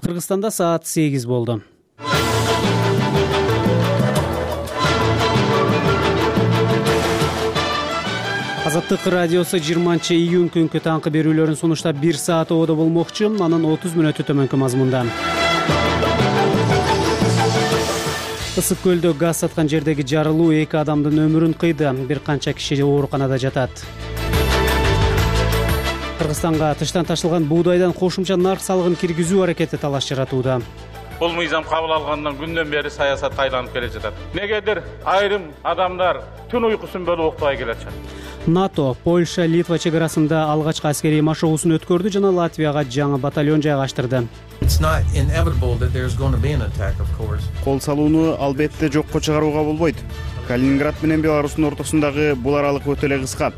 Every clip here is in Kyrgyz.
Кыргызстанда саат 8 болду. Азаттык радиосу 20-июнь күнкү таңкы берүүлөрүн сунуштап 1 саат ободо болмокчу. Анын 30 мүнөтү төмөнкү мазмунда. Ысык көлдө газ саткан жердеги жарылуу 2 адамдын өмүрүн кыйды. Бир канча киши ооруканада жатат. Кыргызстанга тыштан ташылган буудайдан кошумча нарк салыгын киргизүү аракети талаш жаратууда. Бул мыйзам кабыл алгандан күндөн бери саясат айланып келе жатат. Негедир айрым адамдар түн уйкусун бөлүп уктабай келатышат. НАТО Польша, Литва чегарасында алгачкы аскерий машыгуусун өткөрдү жана Латвияга жаңы батальон жайгаштырды. Кол салууну албетте жокко чыгарууга болбойт. Калининград менен Беларустун ортосундагы бул аралык өтө эле кыска.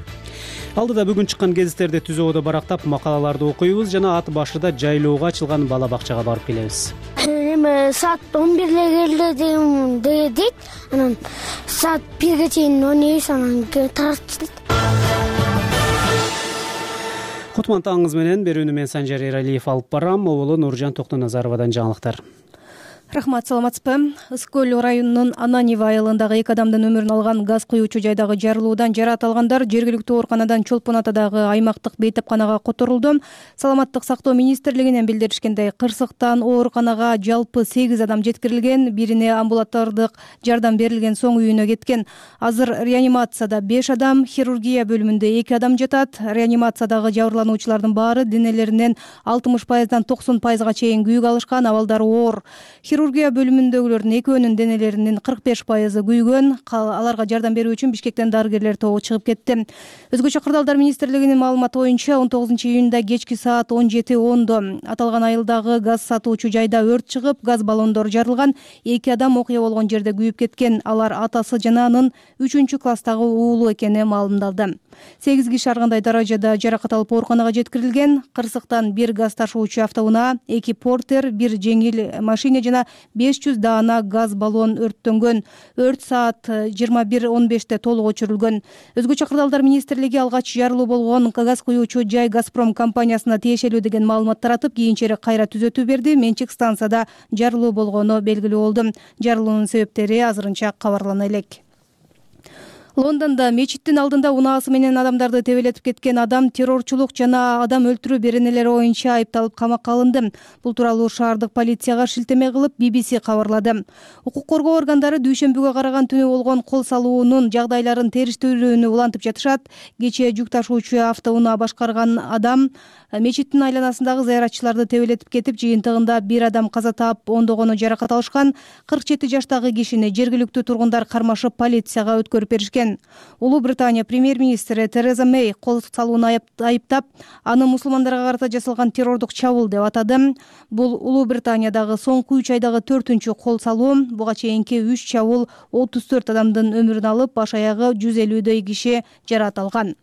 Алдыда бүгүн чыккан гезиттерди түз ободо барактап макалаларды окуйбуз жана ат башыда жайлоого ачылган бала бакчага барып келебиз. Саат 11 келди дейт. Анан саат 1ге чейин ойнойбуз, анан тартып. Кутман таңыңыз менен берүүнү мен Санжар Эралиев алып барам. Оболу Нуржан Токтоназаровадан жаңылыктар. Рахмат, саламатсызбы? Ысык көл районунун Ананева айылындагы 2 адамдын өмүрүн алган газ куюучу жайдагы жарылуудан жараат алгандар жергиликтүү ооруканадан Чолпон атадагы аймактык бейтапканага которулду. Саламаттык сактоо министрлигинен билдиришкендей, кырсыктан ооруканага жалпы 8 адам жеткирилген, бирине амбулатордук жардам берилген соң үйүнө кеткен. Азыр реанимацияда 5 адам, хирургия бөлүмүндө 2 адам жатат. Реанимациядагы жабырлануучулардын баары денелеринен 60%дан 90%га чейин күйүк алышкан, абалдары оор. Хирургия бөлүмүндөгүлөрдүн экөөнүн денелеринин 45% күйгөн. Аларга жардам берүү үчүн Бишкектен дарыгерлер тобу чыгып кетти. Өзгөчө кырдаалдар министрлигинин маалыматы боюнча 19-июнда кечки саат 17:10 аталган айылдагы газ сатуучу жайда өрт чыгып, газ баллондору жарылган. 2 адам окуя болгон жерде күйүп кеткен. Алар атасы жана анын 3-класстагы уулу экени маалымдалды. 8 киши ар кандай даражада жаракат алып ооруканага жеткирилген. Кырсыктан 1 газ ташуучу автоунаа, 2 портер, 1 жеңил машина жана 500 даана газ баллон өрттөнгөн. Өрт саат 21:15 толук өчүрүлгөн. Өзгөчө кырдаалдар министрлиги алгач жарылуу болгон газ куюучу жай Газпром компаниясына тиешелүү деген маалымат таратып, кийинчерээк кайра түзөтүү берди. Менчик станцияда жарылуу болгону белгилүү болду. Жарылуунун себептери азырынча кабарлана элек. Лондондо мечиттин алдында унаасы менен адамдарды тебелетип кеткен адам террорчулук жана адам өлтүрүү беренелери боюнча айыпталып камакка алынды. Бул тууралуу шаардык полицияга шилтеме кылып BBC кабарлады. Укук коргоо органдары дүйшөмбүгө караган түнү болгон кол салуунун жагдайларын териштирүүнү улантып жатышат. Кечээ жүк ташуучу автоунаа башкарган адам мечиттин айланасындагы зыяратчыларды тебелетип кетип, жыйынтыгында 1 адам каза таап, ондогону жаракат алышкан. 47 жаштагы кишини жергиликтүү тургундар кармашып полицияга өткөрүп беришкен. Улуу Британия премьер-министри Тереза Мэй кол салууну айыптап, аны мусулмандарга карата жасалган террордук чабуул деп атады. Бул Улуу Британиядагы соңку 3 айдагы 4-үнчү кол салуу. Буга чейинки 3 чабуул 34 адамдын өмүрүн алып, баш аягы 150дөй киши жараат алган.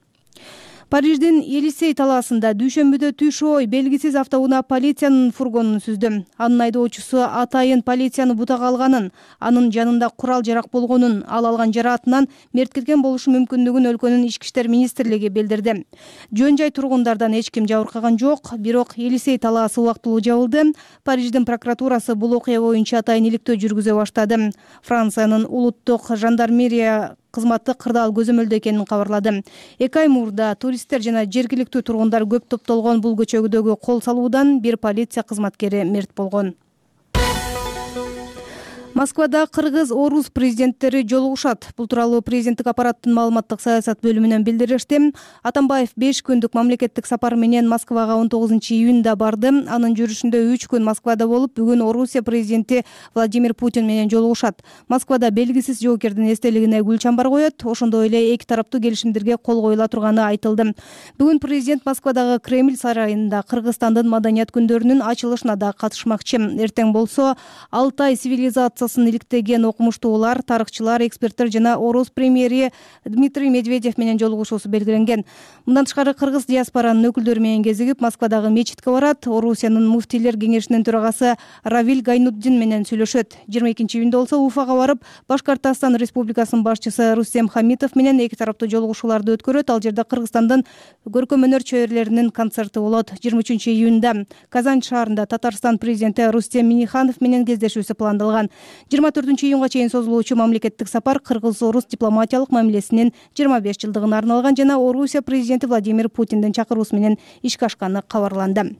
Париждин Елисей талаасында дүйшөмбүдө түш ой белгисиз автоунаа полициянын фургонун сүздү. Анын айдоочусу атайын полицияны бутага алганын, анын жанында курал жарак болгонун, ал алган жараатынан мерт кеткен болушу мүмкүндүгүн өлкөнүн ички иштер министрлиги билдирди. Жөн жай тургундардан эч ким жабыркаган жок, бирок Елисей талаасы убактылуу жабылды. Париждин прокуратурасы бул окуя боюнча атайын иликтөө жүргүзө баштады. Франциянын улуттук жандармерия кызматы кырдаал көзөмөлдө экенин кабарлады. 2 ай мурда туристтер жана жергиликтүү тургундар көп топтолгон бул көчөгүдөгү кол салуудан 1 полиция кызматкери мерт болгон. Москвада кыргыз-орус президенттери жолугушат. Бул тууралуу президенттик аппараттын маалыматтык саясат бөлүмүнөн билдиришти. Атамбаев 5 күндүк мамлекеттик сапар менен Москвага 19-июнда барды. Анын жүрүшүндө 3 күн Москвада болуп, бүгүн Орусия президенти Владимир Путин менен жолугушат. Москвада белгисиз жоокердин эстелигине гүл чамбар коет. Ошондой эле эки тараптуу келишимдерге кол коюла турганы айтылды. Бүгүн президент Москвадагы Кремль сарайында Кыргызстандын маданият күндөрүнүн ачылышына да катышмакчы. Эртең болсо Алтай цивилизациясы акылсын иликтеген окумуштуулар, тарыхчылар, эксперттер жана Орус премьери Дмитрий Медведев менен жолугушуусу белгиленген. Мындан тышкары кыргыз диаспоранын өкүлдөрү менен кезигип, Москвадагы мечитке барат. Орусиянын муфтийлер кеңешинин төрагасы Равиль Гайнуддин менен сүйлөшөт. 22-июнда болсо Уфага барып, Башкортостон Республикасынын башчысы Рустем Хамитов менен эки тараптуу жолугушууларды өткөрөт. Ал жерде Кыргызстандын көркөм өнөр чөйрөлөрүнүн концерти болот. 23-июнда Казань шаарында Татарстан президенти Рустем Минниханов менен кездешүүсү пландалган. 24-июнга чейин созулуучу мамлекеттик сапар кыргыз-орус дипломатиялык мамилесинин 25 жылдыгына арналган жана Орусия президенти Владимир Путиндин чакыруусу менен ишке ашканы кабарланды.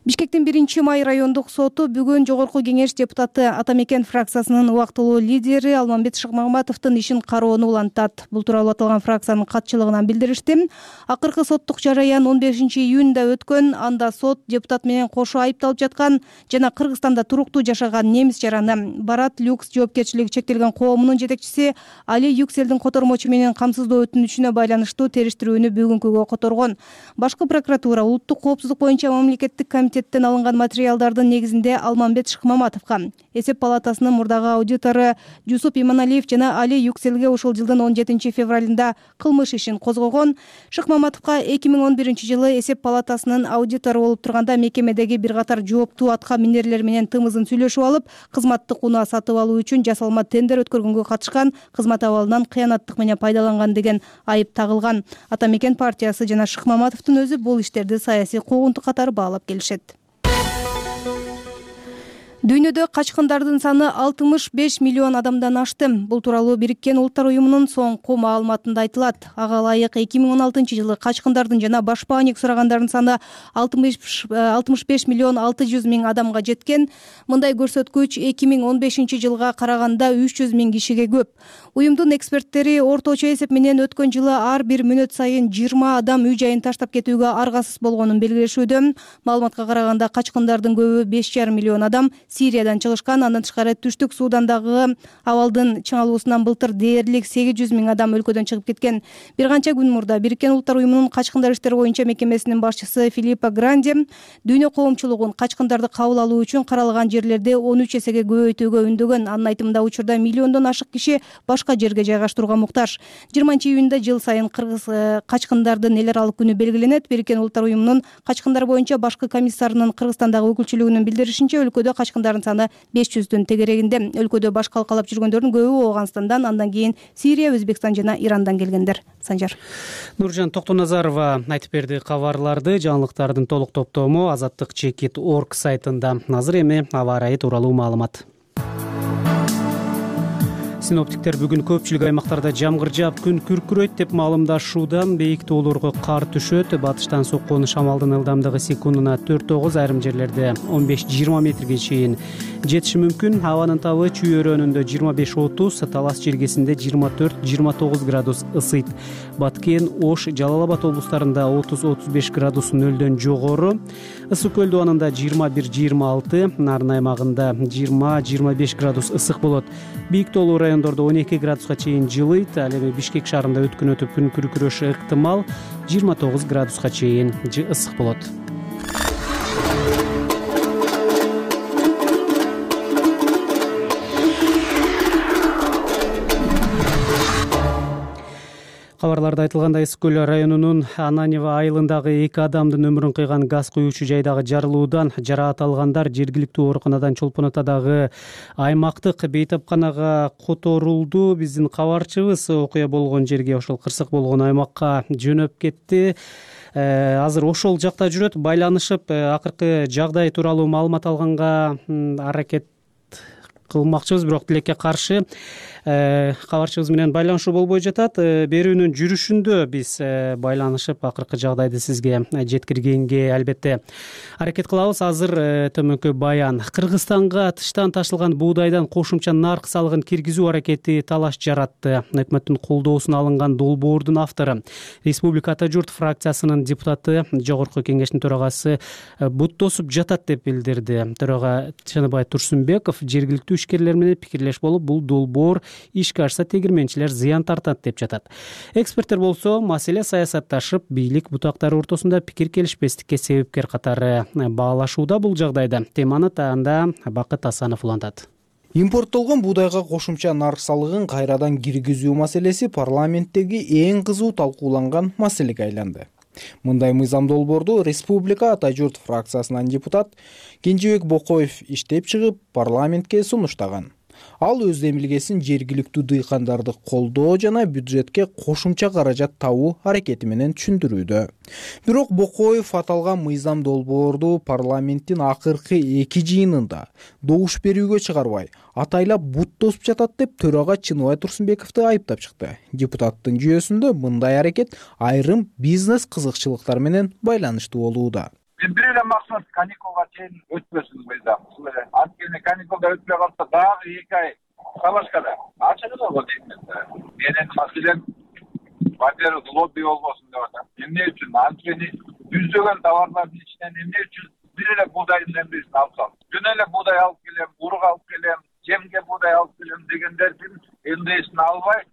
Бишкектин 1-май райондук соту бүгүн Жогорку кеңеш депутаты Атамекен фракциясынын убактылуу лидери Алмамбет Шыкмаматовдун ишин кароону улантат. Бул тууралуу аталган фракциянын катчылыгынан билдиришти. Акыркы соттук жараян 15-июнда өткөн. Анда сот депутат менен кошо айыпталып жаткан жана Кыргызстанда туруктуу жашаган немис жараны Барат Люкс жоопкерчилиги чектелген коомунун жетекчиси Али Юкселдин котормочу менен камсыздоо өтүнүчүнө байланыштуу териштирүүнү бүгүнкүгө которгон. Башкы прокуратура улуттук коопсуздук боюнча мамлекеттик комитеттен алынган материалдардын негизинде Алмамбет Шыкмаматовго, эсеп палатасынын мурдагы аудитору Жусуп Иманалиев жана Али Юкселге ушул жылдын 17 февралында кылмыш ишин козгогон. Шыкмаматовго 2011-жылы эсеп палатасынын аудитору болуп турганда мекемедеги бир катар жооптуу атка минерлер менен тымызын сүйлөшүп алып, кызматтык унаа сатып алуу үчүн жасалма тендер өткөргөнгө катышкан, кызмат абалынан кыянаттык менен пайдаланган деген айып тагылган. Атамекен партиясы жана Шыкмаматовдун өзү бул иштерди саясий куугунтук катары баалап келишет. Дүйнөдө качкындардын саны 65 миллион адамдан ашты. Бул тууралуу Бириккен Улуттар уюмунун соңку маалыматында айтылат. Ага ылайык 2016-жылы качкындардын жана башпааник сурагандардын саны 65 миллион 600 миң адамга жеткен. Мындай көрсөткүч 2015-жылга караганда 300 миң кишиге көп. Уюмдун эксперттери орточо эсеп менен өткөн жылы ар бир мүнөт сайын 20 адам үй жайын таштап кетүүгө аргасыз болгонун белгилешүүдө. Маалыматка караганда качкындардын көбү 5,5 миллион адам Сириядан чыгышкан. Андан тышкары Түштүк Судандагы абалдын чыңалуусунан былтыр дээрлик 800 миң адам өлкөдөн чыгып кеткен. Бир канча күн мурда Бириккен Улуттар уюмунун качкындар иштери боюнча мекемесинин башчысы Филиппо Гранди дүйнө коомчулугун качкындарды кабыл алуу үчүн каралган жерлерди 13 эсеге көбөйтүүгө үндөгөн. Анын айтымында учурда миллиондон ашык киши башка жерге жайгаштырууга муктаж. 20-июнда жыл сайын кыргыз качкындардын эл аралык күнү белгиленет. Бириккен Улуттар уюмунун качкындар боюнча башкы комиссарынын Кыргызстандагы өкүлчүлүгүнүн билдиришинче, өлкөдө качкындардын саны 500-дүн тегерегинде. Өлкөдө баш калкалап жүргөндөрдүн көбү Ооганстандан, андан кийин Сирия, Өзбекстан жана Ирандан келгендер. Санжар. Нуржан Токтоназарова айтып берди кабарларды. Жаңылыктардын толук топтому azattik.org сайтында. Азыр эми аба ырайы тууралуу маалымат. Синоптиктер бүгүн көпчүлүк аймактарда жамгыр жаап, күн күркүрөйт деп маалымдашууда. Бейик тоолорго кар түшөт. Батыштан соккон шамалдын ылдамдыгы секундуна 4-9, айрым жерлерде 15-20 метрге чейин жетиши мүмкүн. Абанын табы Чүй өрөөнүндө 25-30, Талас жергесинде 24-29 градус ысыйт. Баткен, Ош, Жалал Абад облустарында 30-35 градус нөлдөн жогору. Ысык көл дубанында 21-26, Нарын аймагында 20-25 градус ысык болот. Бийик тоолуу райондордо 12 градуска чейин жылыйт. Ал эми Бишкек шаарында өткөн өтүп күн күркүрөшү ыктымал, 29 градуска чейин ысык болот. Кабарларда айтылгандай, Ысык көл районунун Ананева айылындагы 2 адамдын өмүрүн кыйган газ куюучу жайдагы жарылуудан жараат алгандар жергиликтүү ооруканадан Чолпон Атадагы аймактык бейтапканага которулду. Биздин кабарчыбыз окуя болгон жерге, ошол кырсык болгон аймакка жөнөп кетти. Азыр ошол жакта жүрөт, байланышып акыркы жагдай тууралуу маалымат алганга аракет кылмакчыбыз, бирок тилекке каршы кабарчыбыз менен байланышуу болбой жатат. Берүүнүн жүрүшүндө биз байланышып акыркы жагдайды сизге жеткиргенге албетте аракет кылабыз. Азыр төмөнкү баян. Кыргызстанга тыштан ташылган буудайдан кошумча нарк салыгын киргизүү аракети талаш жаратты. Өкмөттүн колдоосуна алынган долбоордун автору, Республика Ата журт фракциясынын депутаты, Жогорку кеңештин төрагасы буттосуп жатат деп билдирди. Төрага Чыныбай Турсунбеков жергиликтүү ишкерлер менен пикирлеш болуп, бул долбоор ишке ашса тегирменчилер зыян тартат деп жатат. Эксперттер болсо, маселе саясатташып, бийлик бутактары ортосунда пикир келишпестикке себепкер катары баалашууда. Бул жагдайда теманы таанда Бакыт Асанов улантат. Импорттолгон буудайга кошумча нарк салыгын кайрадан киргизүү маселеси парламенттеги эң кызуу талкууланган маселеге айланды. Мындай мыйзам долбоорду Республика Ата журт фракциясынан депутат Кенжебек Бокоев иштеп чыгып, парламентке сунуштаган. Ал өз эмилгесин жергиликтүү дыйкандарды колдоо жана бюджетке кошумча каражат табуу аракети менен түшүндүрүүдө. Бирок Бокоев аталган мыйзам долбоорду парламенттин акыркы 2 жыйынында добуш берүүгө чыгарбай, атайлап бут тосуп жатат деп төрага Чыныбай Турсунбековду айыптап чыкты. Депутаттын жүйөсүндө мындай аракет айрым бизнес кызыкчылыктар менен байланыштуу болууда. Бир эле максат каникулга чейин өтпөсүн мыйзам. Анткени каникулда өтпөй калса дагы 2 ай калашкада ачыгы болот дейм. Менин маселем во-первых лобби болбосун деп атам. Эмне үчүн? Анткени жүздөгөн товарлардын ичинен эмне үчүн бир эле буудайдын эмнесин алсам? Күнү эле буудай алып келем, урук алып келем, жемге буудай алып келем дегендердин эмнесин албай,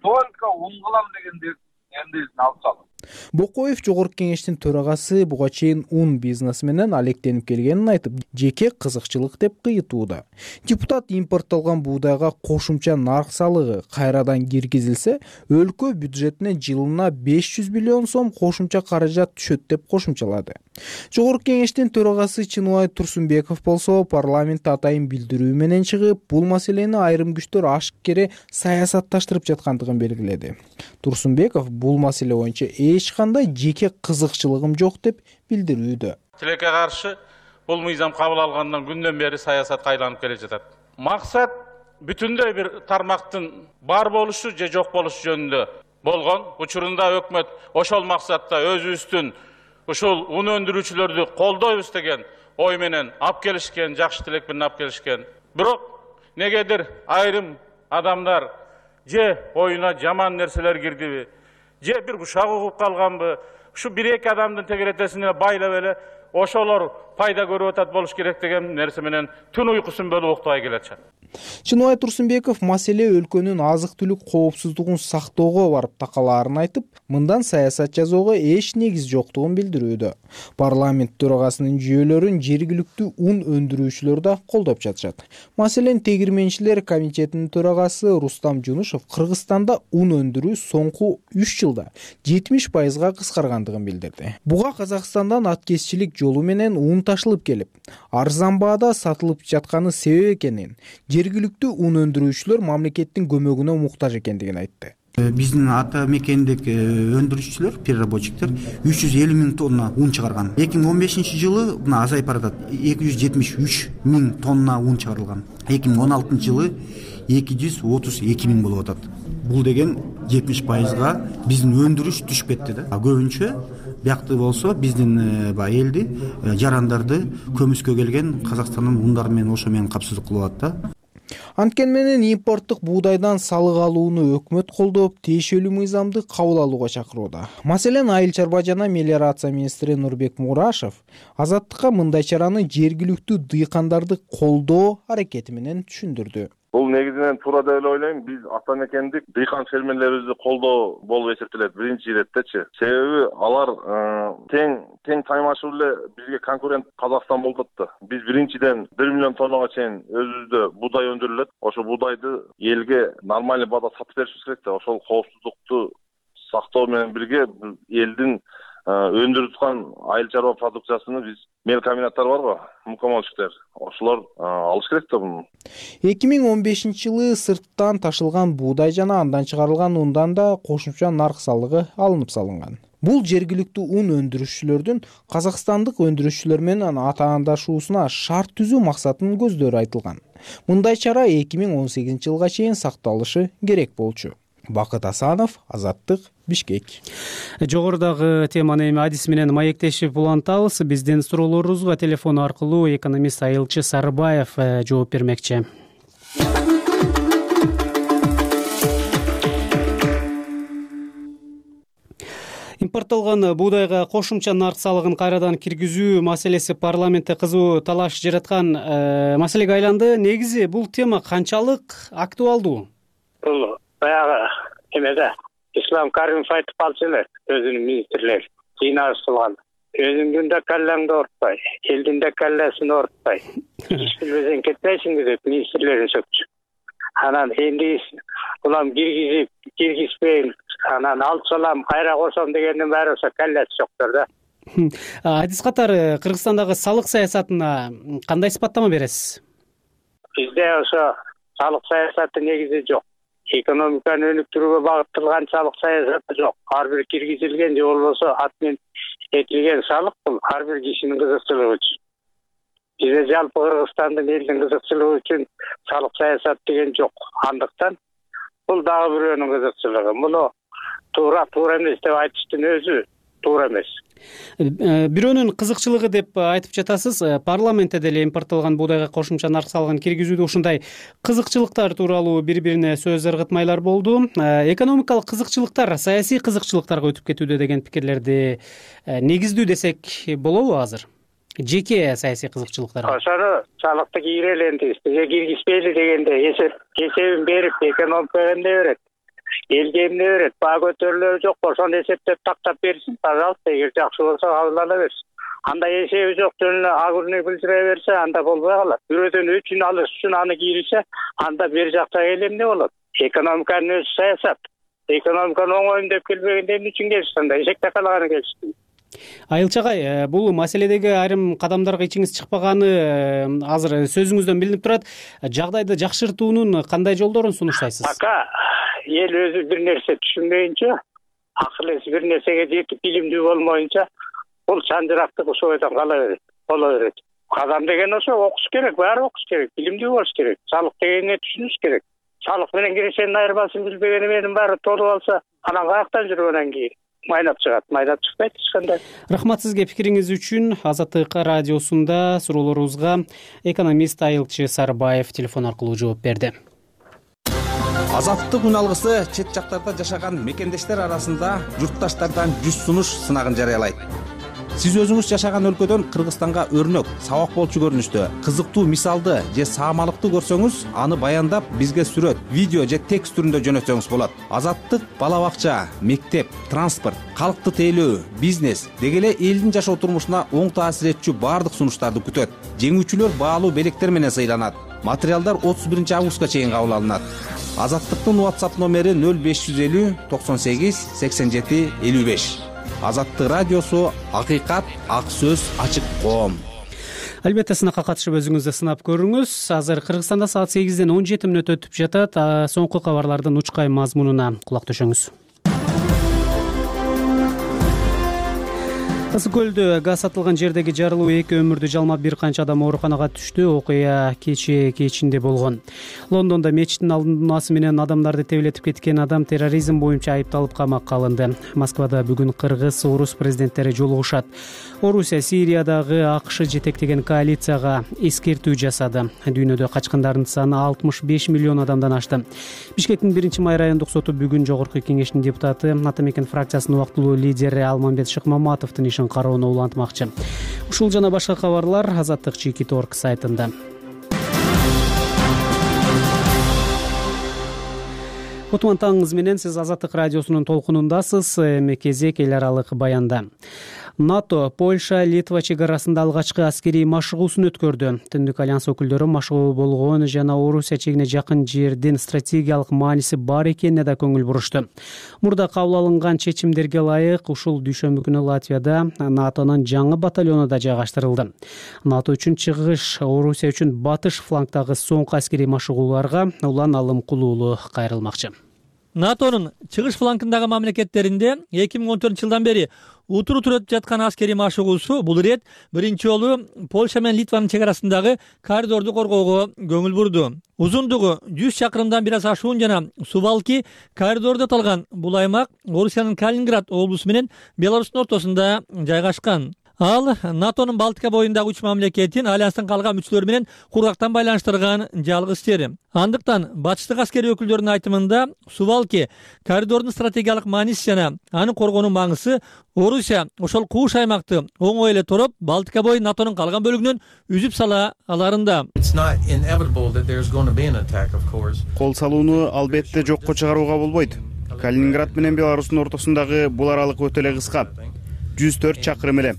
только ун кылам дегендер эмнесин алсам. Бокоев жогорку кеңештин төрагасы буга чейин ун бизнеси менен алектенип келгенин айтып, жеке кызыкчылык деп кыйытууда. Депутат импорттолгон буудайга кошумча нарк салыгы кайрадан киргизилсе, өлкө бюджетине жылына 500 миллион сом кошумча каражат түшөт деп кошумчалады. Жогорку кеңештин төрагасы Чыныбай Турсунбеков болсо, парламентте атайын билдирүү менен чыгып, бул маселени айрым күчтөр ашыккере саясатташтырып жаткандыгын белгиледи. Турсунбеков бул маселе боюнча эч кандай жеке кызыкчылыгым жок деп билдирүүдө. Тилекке каршы бул мыйзам кабыл алгандан күндөн бери саясатка айланып келе жатат. Максат бүтүндөй бир тармактын бар болушу же жок болушу жөнүндө болгон. Учурунда өкмөт ошол максатта өзүбүздүн ушул ун өндүрүүчүлөрдү колдойбуз деген ой менен алып келишкен, жакшы тилек менен алып келишкен. Бирок негедир айрым адамдар же оюна жаман нерселер кирдиби, же бир ушак угуп калганбы, ушу 1-2 адамдын тегеретесине байлап эле ошолор пайда көрүп атат болуш керек деген нерсе менен түн уйкусун бөлүп уктабай келатышат. Чыныбай Турсунбеков маселе өлкөнүн азык-түлүк коопсуздугун сактоого барып такалаарын айтып, мындан саясат жасоого эч негиз жоктугун билдирүүдө. Парламент төрагасынын жүйөлөрүн жергиликтүү ун өндүрүүчүлөр да колдоп жатышат. Маселен, тегирменчилер комитетинин төрагасы Рустам Жунушев Кыргызстанда ун өндүрүү соңку 3 жылда 70% кыскаргандыгын билдирди. Буга Казакстандан аткезчилик жолу менен ун ташылып келип, арзан баада сатылып жатканы себеп экенин, жергиликтүү ун өндүрүүчүлөр мамлекеттин көмөгүнө муктаж экендигин айтты. Биздин ата мекендик өндүрүүчүлөр, переработчиктер 350 000 тонна ун чыгарган. 2015 жылы мына азайып баратат. 273 000 тонна ун чыгарылган. 2016 жылы 232 000 болуп атат. Бул деген 70%га биздин өндүрүш түшүп кетти да. Көбүнчө биякты болсо биздин элди, жарандарды көмүскө келген Казакстандын ундары менен ошо менен капсыздык кылып атат да. Анткени менен импорттук буудайдан салык алууну өкмөт колдоп, тиешелүү мыйзамды кабыл алууга чакырууда. Маселен, Айыл чарба жана мелиорация министри Нурбек Мурашев Азаттыкка мындай чараны жергиликтүү дыйкандарды колдоо аракети менен түшүндүрдү. Бул негизинен туура деп ойлойм. Биз ата мекендик дыйкан фермерлерибизди колдоо болуп эсептелет биринчи иретечи. Себеби алар тең таймашуу эле бизге конкурент Казакстан болуп атты. Биз биринчиден 1 миллион тоннага чейин өзүбүздө буудай өндүрүлөт. Ошо буудайды элге нормальный баада сатып беришибиз керек да. Ошол коопсуздукту сактоо менен бирге элдин өндүрүп аткан айыл чарба продукциясыны биз мелкомбинаттар барго, мукомолчиктер, ошолор алыш керек да буну. 2015 жылы сырттан ташылган буудай жана андан чыгарылган ундан да кошумча нарк салыгы алынып салынган. Бул жергиликтүү ун өндүрүүчүлөрдүн казакстандык өндүрүүчүлөр менен атаандашуусуна шарт түзүү максатынын көздөрү айтылган. Мындай чара 2018 жылга чейин сакталышы керек болчу. Бакыт Асанов, Азаттык, Бишкек. Жогорудагы теманы эми адис менен маектешип улантабыз. Биздин суроолорубузга телефон аркылуу экономист Айылчы Сарыбаев жооп бермекчи. Импорттолгон буудайга кошумча нарк салыгын кайрадан киргизүү маселеси парламентте кызуу талаш жараткан маселеге айланды. Негизи бул тема канчалык актуалдуу? Бул баягы эмеде Ислам Каримов айтып калчу эле, өзүнүн министрлери жыйналыш кылган. өзүңдүн да каллаңды оорутпай, элдин да калласын оорутпай, иш билбесең кетпейсиңби деп министрлерин сөкчү. Анан энди улам киргизбейм, анан алып салам, кайра кошом дегендин баары ошо калласы жоктор да. Адис катары Кыргызстандагы салык саясатына кандай сыпаттама бересиз? Бизде ошо салык саясаты негизи жок. Экономиканы өнүктүрүүгө багытталган салык саясаты жок. Ар бир киргизилген же болбосо атмен этилген салык бул ар бир кишинин кызыкчылыгы үчүн. Бизде жалпы Кыргызстандын элдин кызыкчылыгы үчүн салык саясат деген жок. Андыктан бул дагы бирөөнүн кызыкчылыгы. Муну туура эмес деп айтыштын өзү туура эмес. Бирөөнүн кызыкчылыгы деп айтып жатасыз. Парламентте деле импорттолгон буудайга кошумча нарк салыгын киргизүүдө ушундай кызыкчылыктар тууралуу бири-бирине сөз ыргытмайлар болду. Экономикалык кызыкчылыктар саясий кызыкчылыктарга өтүп кетүүдө деген пикирлерди негиздүү десек болобу азыр? Жеке саясий кызыкчылыктар. Ошону салыкты киргизелендириз, бизге киргизбейли дегенде эсебин берип, экономикага эмне берет? Элге эмне берет? Баа көтөрүлөрү жок, ошону эсептеп тактап берсин, пожалуйста, эгер жакшы болсо кабыл ала берсин. Анда эсеби жок жөн эле агурный билдире берсе, анда болбой калат. Бирөөдөн өчүн алыш үчүн аны кийилсе, анда бери жактагы эл эмне болот? Экономиканын өзү саясат. Экономиканы оңоюм деп келбегенде эмне үчүн келишти анда? Эшекте калаганы келишти. Айылчы агай, бул маселедеги айрым кадамдарга ичиңиз чыкпаганы азыр сөзүңүздөн билинип турат. Жагдайды жакшыртуунун кандай жолдорун сунуштайсыз? Пока эл өзү бир нерсе түшүнбөйүнчө, акыл эси бир нерсеге жетип билимдүү болмоюнча, бул чанжырактык ошол бойдон кала берет, боло берет. Кадам деген ошо окуш керек, баары окуш керек, билимдүү болуш керек, салык дегенди түшүнүш керек. Салык менен киришенин айырмасын билбеген эмненин баары толуп алса, анан каяктан жүрүп анан кийин майнап чыгат, майнап чыкпайт эч кандай. Рахмат сизге пикириңиз үчүн. Азаттык радиосунда суроолорубузга экономист Айылчы Сарбаев телефон аркылуу жооп берди. Азаттык үн алгысы чет жактарда жашаган мекендештер арасында журтташтардан 100 сунуш сынагын жарыялайт. Сиз өзүңүз жашаган өлкөдөн Кыргызстанга өрнөк, сабак болчу көрүнүштө кызыктуу мисалды же саамалыкты көрсөңүз, аны баяндап бизге сүрөт, видео же текст түрүндө жөнөтсөңүз болот. Азаттык бала бакча, мектеп, транспорт, калкты тейлөө, бизнес деги эле элдин жашоо турмушуна оң таасир этчү баардык сунуштарды күтөт. Жеңүүчүлөр баалуу белектер менен сыйланат. Материалдар 31 августка чейин кабыл алынат. Азаттыктын WhatsApp номери 0550 98 87 55. Азаттык радиосу акыйкат, ак сөз, ачык коом. Албетте сынакка катышып өзүңүздү сынап көрүңүз. Азыр Кыргызстанда саат 8ден 17 мүнөт өтүп жатат. Соңку кабарлардын учкай мазмунуна кулак төшөңүз. Ысык көлдө газ сатылган жердеги жарылуу 2 өмүрдү жалмап бир канча адам ооруканага түштү. Окуя кечинде болгон. Лондондо мечиттин алдын-асы менен адамдарды тебелетип кеткен адам терроризм боюнча айыпталып камакка алынды. Москвада бүгүн кыргыз, орус президенттери жолугушат. Орусия Сириядагы АКШ жетектеген коалицияга эскертүү жасады. Дүйнөдө качкандардын саны 65 миллион адамдан ашты. Бишкектин 1-май райондук соту бүгүн жогорку кеңештин депутаты, Атамекен фракциясынын убактылуу лидери Алмамбет Шыкмаматовдун ишин кароону улантмакчы. Ушул жана башка кабарлар Азаттык Чикит.орг сайтында. Кутман таңыңыз менен сиз Азаттык радиосунун толкунундасыз. Эми кезек эл аралык баянда. НАТО Польша, Литва чек арасында алгачкы аскерий машыгуусун өткөрдү. Түндүк альянс өкүлдөрү машыгуу болгон жана Орусия чегине жакын жердин стратегиялык мааниси бар экенине да көңүл бурушту. Мурда кабыл алынган чечимдерге ылайык ушул дүйшөмбү күнү Латвияда НАТОнун жаңы батальону да жайгаштырылды. НАТО үчүн чыгыш, Орусия үчүн батыш флангдагы соңку аскерий машыгууларга улан алым кылуулу кайрылмакчы. НАТОнун чыгыш флангындагы мамлекеттеринде 2014-жылдан бери утур-утур өтүп жаткан аскерий машыгуусу бул ирет биринчи жолу Польша менен Литванын чек арасындагы коридорду коргоого көңүл бурду. Узундугу 100 чакырымдан бир аз ашуун жана Сувалки коридорду аталган бул аймак Орусиянын Калининград облусу менен Беларустун ортосунда жайгашкан. Ал НАТОнун Балтика боюндагы 3 мамлекетин альянстын калган мүчөлөрү менен кургактан байланыштырган жалгыз жери. Андыктан батыштык аскерий өкүлдөрүнүн айтымында Сувалки коридордун стратегиялык мааниси жана аны коргоонун маңызы Орусия ошол кууш аймакты оңой эле тороп, Балтика бою НАТОнун калган бөлүгүнөн үзүп сала аларында. Кол салууну албетте жокко чыгарууга болбойт. Калининград менен Беларустун ортосундагы бул аралык өтө эле кыска. 104 чакырым эле.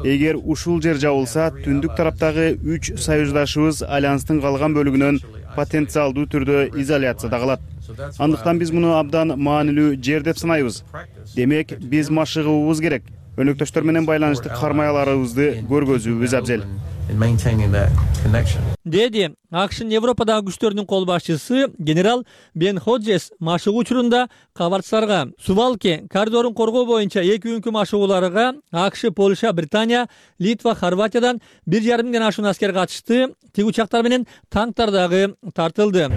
Эгер ушул жер жабылса, түндүк тараптагы 3 союздашыбыз альянстын калган бөлүгүнөн потенциалдуу түрдө изоляцияда калат. Андыктан биз муну абдан маанилүү жер деп санайбыз. Демек, биз машыгуубуз керек. Өнөктөштөр менен байланыштык кармаяларыбызды көргөзүүбүз абзел. Деди АКШнын Европадагы күчтөрүнүн кол башчысы генерал Бен Ходжес машыгуу учурунда кабарчыларга Сувалки коридорун коргоо боюнча 2 күnkү машыгууларга АКШ, Польша, Британия, Литва, Хорватиядан 1,5 миңден ашуун аскер катышты. Тиг учактар менен танктар дагы тартылды.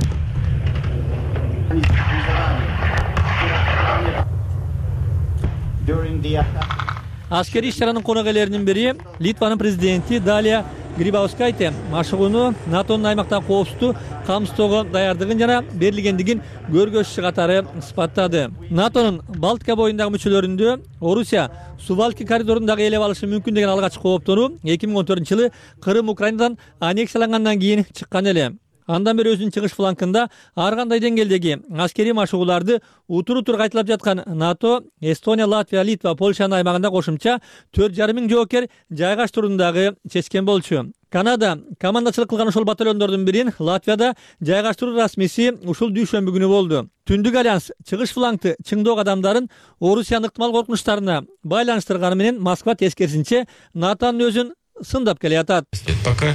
Аскери иш-чаранын конок-ээлеринин бири Литванын президенти Далия Грибаускайте машыгууну НАТОнун аймактагы коопсуздукту камсыздоого даярдыгын жана берилгендигин көргөзчү катары сыпаттады. НАТОнун Балтика боюндагы мүчөлөрүндө Орусия Сувалки коридорун дагы ээлеп алышы мүмкүн деген алгачкы кооптонуу 2014-жылы Крым Украинадан аннексиялангандан кийин чыккан эле. Андан бери өзүнүн чыгыш флангында ар кандай деңгээлдеги аскерий машыгууларды утур-утур кайталап жаткан НАТО, Эстония, Латвия, Литва, Польшанын аймагында кошумча 4,5 миң жоокер жайгаштырууну дагы чечкен болчу. Канада командачылык кылган ошол батальондордун бирин Латвияда жайгаштыруу расмиси ушул дүйшөмбү күнү болду. Түндүк альянс чыгыш флангды чыңдоо кадамдарын Орусиянын ыктымал коркунучтарына байланыштырганы менен Москва тескерисинче НАТОнун өзүн сындап келе жатат. Пока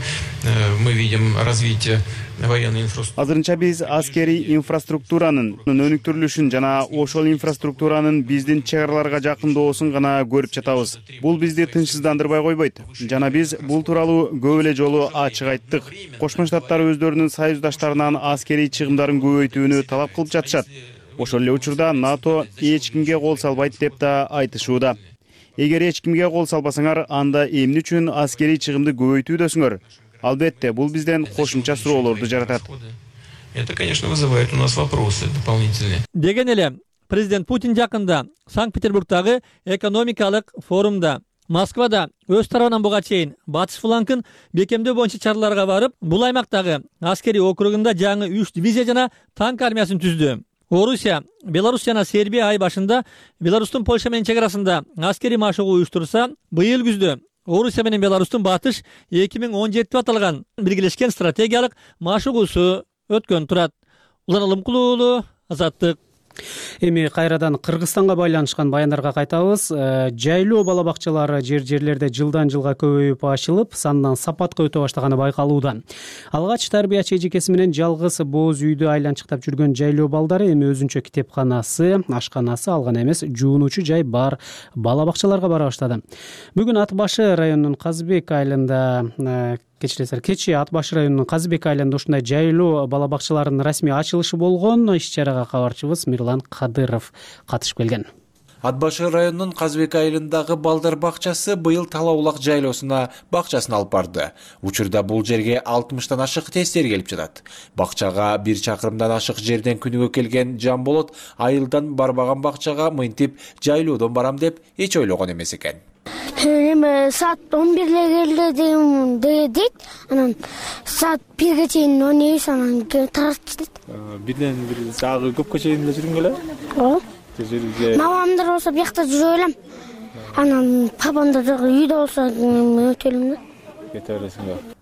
мы видим развитие военной инфраструктуры. Азырынча биз аскерий инфраструктуранын өнүктүрүлүшүн жана ошол инфраструктуранын биздин чек араларга жакындоосун гана көрүп жатабыз. Бул бизди тынчсыздандырбай койбойт. Жана биз бул тууралуу көп эле жолу ачык айттык. Кошмо Штаттар өздөрүнүн союздаштарынан аскерий чыгымдарын көбөйтүүнү талап кылып жатышат. Ошол эле учурда НАТО эч кимге кол салбайт деп да айтышууда. Эгер эч кимге кол салбасаңар, анда эмне үчүн аскерий чыгымды көбөйтүүдөсүңөр? Албетте, бул бизден кошумча суроолорду жаратат. Это, конечно, вызывает у нас вопросы дополнительные. Деген эле президент Путин жакында Санкт-Петербургдагы экономикалык форумда Москвада өз тарабынан буга чейин батыш флангын бекемдөө боюнча чараларга барып, бул аймактагы аскерий округунда жаңы 3 дивизия жана танк армиясын түздү. Орусия, Беларусь жана Сербия ай башында Беларустун Польша менен чек арасында аскерий машыгуу уюштурса, быйыл күздө Орусия менен Беларустун батыш 2017 деп аталган биргелешкен стратегиялык машыгуусу өткөн турат. Улан Алымкулуу уулу, Азаттык. Эми кайрадан Кыргызстанга байланышкан баяндарга кайтабыз. Жайлоо бала бакчалары жерлерде жылдан жылга көбөйүп ачылып, сандан сапатка өтө баштаганы байкалууда. Алгач тарбиячы эжекеси менен жалгыз боз үйдү айланчыктап жүргөн жайлоо балдары эми өзүнчө китепканасы, ашканасы, алган эмес жуунуучу жай бар бала бакчаларга бара баштады. Бүгүн Ат башы районунун Казыбек айылында кечи Ат башы районунун Казыбек айылында ушундай жайлоо бала бакчаларынын расмий ачылышы болгон. Иш-чарага кабарчыбыз Мирлан Кадыров катышып келген. Ат башы районунун Казыбек айылындагы балдар бакчасы быйыл Тала Улак жайлоосуна бакчасын алып барды. Учурда бул жерге 60тан ашык тестер келип жатат. Бакчага 1 чакырымдан ашык жерден күнүгө келген Жамболот айылдан барбаган бакчага мынтип жайлоодон барам деп эч ойлогон эмес экен. Saat 11'le geldim dedik. Anam saat 1'e çeyin oynayış anam tartıştık. Birden bir sağı köpke çeyinde жүрүнгө эле? О. Мамамдар болсо биякта жүрө элем. Анан папамдар үйдө болсо өтөлүм.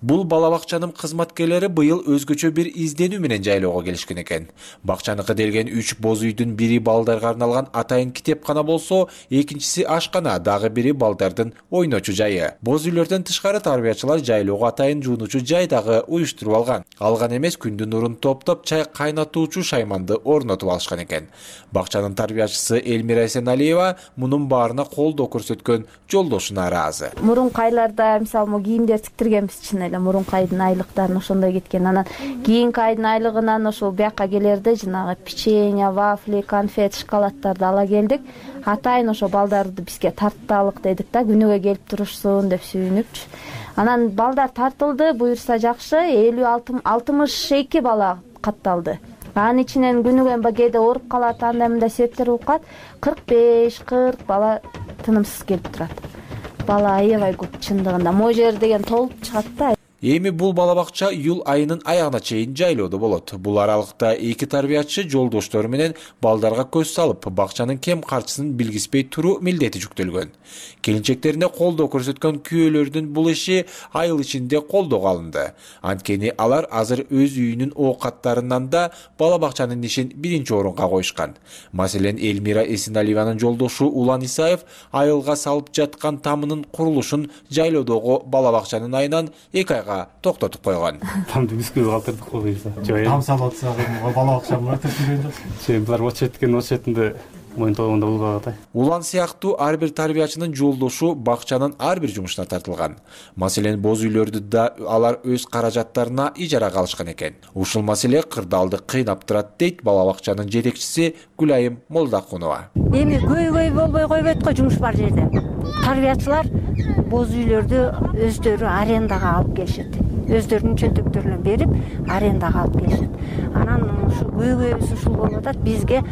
Бул бала бакчанын кызматкерлери быйыл өзгөчө бир изденүү менен жайлоого келишкен экен. Бакчаны кыделген 3 боз үйдүн бири балдарга арналган атайын китепкана болсо, экинчиси ашкана, дагы бири балдардын ойночу жайы. Боз үйлөрдөн тышкары тарбиячылар жайлоого атайын жуунуучу жай дагы уюштуруп алган. Алган эмес күндүн нурун топтоп чай кайнатуучу шайманды орнотуп алышкан экен. Бакчанын тарбиячысы Элмира Эсеналиева мунун баарына колдоо көрсөткөн жолдошуна ыраазы. Мурунку айларда мисалы кийимдер тиктиргенбиз чын эле, мурунку айдын айлыктарын ошондой кеткен. Анан кийинки айдын айлыгынан ошол бияка келерде жанагы печенье, вафли, конфет, шоколадтарды ала келдик. Атайын ошо балдарды бизге тартталык дедик да, күнүгө келип турушсун деп сүйүнүпчү. Анан балдар тартылды, буюрса жакшы, 50-62 бала катталды. Анын ичинен күнүгө кээде ооруп калат, анда мындай себептер болуп калат. 45-40 бала тынымсыз келип турат. Бала аябай көп чындыгында. Могу жер деген толуп чыгат да. Эми бул бала бакча июль айынын аягына чейин жайлоодо болот. Бул аралыкта 2 тарбиячы жолдоштору менен балдарга көз салып, бакчанын кем карчысын билгизбей туруу милдети жүктөлгөн. Келинчектерине колдоо көрсөткөн күйөөлөрдүн бул иши айыл ичинде колдоого алынды. Анткени алар азыр өз үйүнүн оокаттарынан да бала бакчанын ишин биринчи орунга коюшкан. Маселен, Элмира Эсеналиеванын жолдошу Улан Исаев айылга салып жаткан тамынын курулушун жайлоодогу бала бакчанын айынан 2 айга токтотуп койгон. Тамды бүскүз калтырдык койгойса. Там салып атса, бала бакчаны өтүп жүргөн. Булар очетинде моюнтогонда болбой атай. Улан сыяктуу ар бир тарбиячынын жолдошу бакчанын ар бир жумушуна тартылган. Маселен, боз үйлөрдү да алар өз каражаттарына ижарага алышкан экен. Ушул маселе кырдаалды кыйнап турат, дейт бала бакчанын жетекчиси Гүлайым Молдакунова. Эми көйгөй болбой койбойт го жумуш бар жерде. Тарбиячылар боз үйлөрдү өздөрү арендага алып келишет. Өздөрүнүн чөнтөктөрүнө берип, арендага алып келишет. Анан ушу көйгөйүбүз ушул болуп атат. Бизге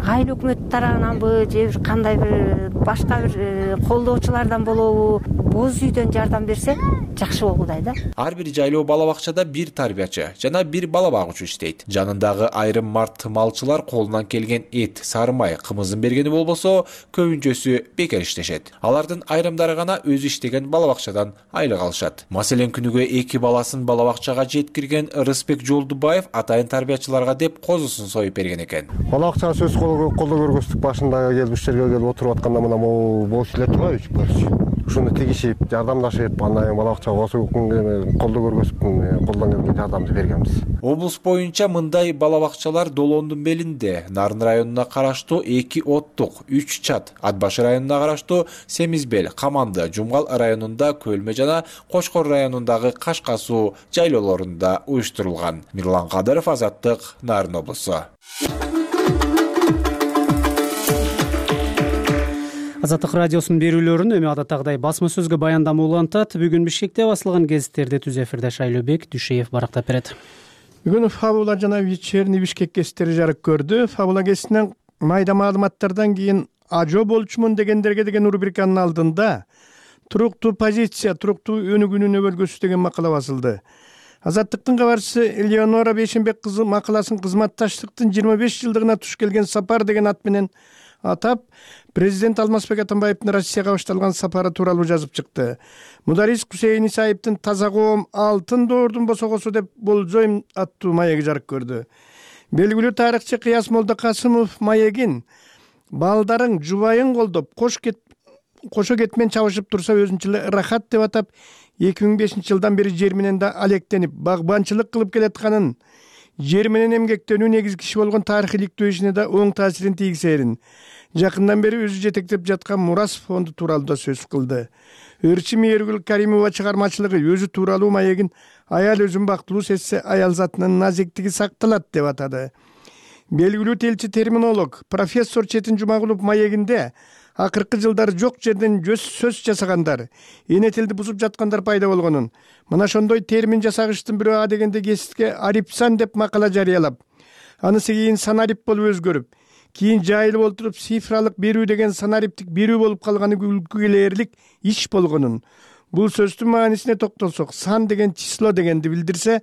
айыл өкмөт тарабынанбы же кандай бир башка бир колдоочулардан болобу боз үйдөн жардам берсе жакшы болгудай да. Ар бир жайлоо бала бакчада 1 тарбиячы жана 1 бала багуучу иштейт. Жанындагы айрым март малчылар колунан келген эт, сары май, кымызын бергени болбосо, көбүнчөсү бекер иштешет. Алардын айрымдары гана өзү иштеген бала бакчадан айлык алышат. Маселен, күнүгө 2 баласын бала бакчага жеткирген Рыспек Жолдубаев атайын тарбиячыларга деп козусун союп берген экен. Бала бакчага сөз колдоо көргөзүп башында келип иш жерге келип отуруп атканда мына могу боз эле турбайбы үч көрчү. Ушуну тигишип, жардамдашып, андан бала бакчага колдоо көргөзүп, колдон келген жардамды бергенбиз. Облус боюнча мындай бала бакчалар Долоондун белинде, Нарын районуна караштуу 2 оттук, 3 чат, Атбашы районуна караштуу Семизбел, Каманды, Жумгал районунда, Көлмө жана Кочкор районундагы Кашка суу жайлоолорунда уюштурулган. Мирлан Кадыров, Азаттык, Нарын облусу. Азаттык радиосунун берүүлөрүн эми адаттагыдай басма сөзгө баяндама улантат. Бүгүн Бишкекте басылган гезиттерди түз эфирде Шайлообек Дүйшеев барактап берет. Бүгүн Фабула жана Вечерний Бишкек гезиттери жарык көрдү. Фабула гезитинен майда маалыматтардан кийин ажо болчумун дегендерге деген рубриканын алдында туруктуу позиция, туруктуу өнүгүүнүн өбөлгөсү деген макала басылды. Азаттыктын кабарчысы Элеонора Бейшенбек кызы макаласын кызматташтыктын 25 жылдыгына туш келген сапар деген ат менен атап, президент Алмазбек Атамбаевдин Россияга башталган сапары тууралуу жазып чыкты. Мударис Кусейин Исаевдин Таза коом алтын доордун босогосу деп болжойм аттуу маеги жарык көрдү. Белгилүү тарыхчы Кыяс Молдокасымов маегин балдарың жубайың колдоп кошо кетмен чабышып турса өзүнчө ырахат деп атап, 2005 жылдан бери жер менен да алектенип, багбанчылык кылып келатканын, жер менен эмгектенүү негизги иши болгон тарыхый иликтөө ишине да оң таасирин тийгизерин, жакындан бери өзү жетектеп жаткан Мурас фонду тууралуу да сөз кылды. Өрчү Мээргүл Каримова чыгармачылыгы өзү тууралуу маегин аял өзүн бактылуу сезсе, аял затынын назиктиги сакталат деп атады. Белгилүү телчи терминолог профессор Четин Жумагулов маегинде акыркы жылдары жок жерден сөз жасагандар, эне тилди бузуп жаткандар пайда болгонун, мына ошондой термин жасагычтын бирөө дегенде гезитке арипсан деп макала жарыялап, анысы кийин санарип болуп өзгөрүп, кийин жайылып олтуруп цифралык берүү деген санариптик берүү болуп калганы күлкүлээрлик иш болгонун, бул сөздүн маанисине токтолсок, сан деген число дегенди билдирсе,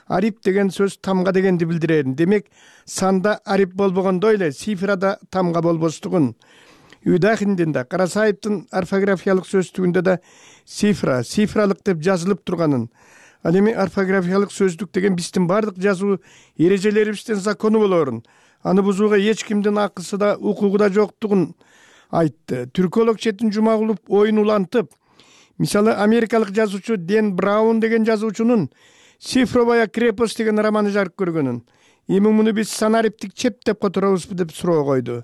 арип деген сөз тамга дегенди билдирерин. Демек, санда арип болбогондой эле цифрада тамга болбостугун. Үдахиндин да, Карасаевдин орфографиялык сөздүгүндө да цифралык деп жазылып турганын, ал эми орфографиялык сөздүк деген биздин бардык жазуу эрежелерибиздин закону болорун, аны бузууга эч кимдин акысы да, укугу да жоктугун айтты. Түрколог Четин Жумагулов оюн улантып, мисалы америкалык жазуучу Дэн Браун деген жазуучунун «Цифровая крепость» деген романы жарык көргөнүн, эми муну биз санариптик чеп деп которобузбу деп суроо койду.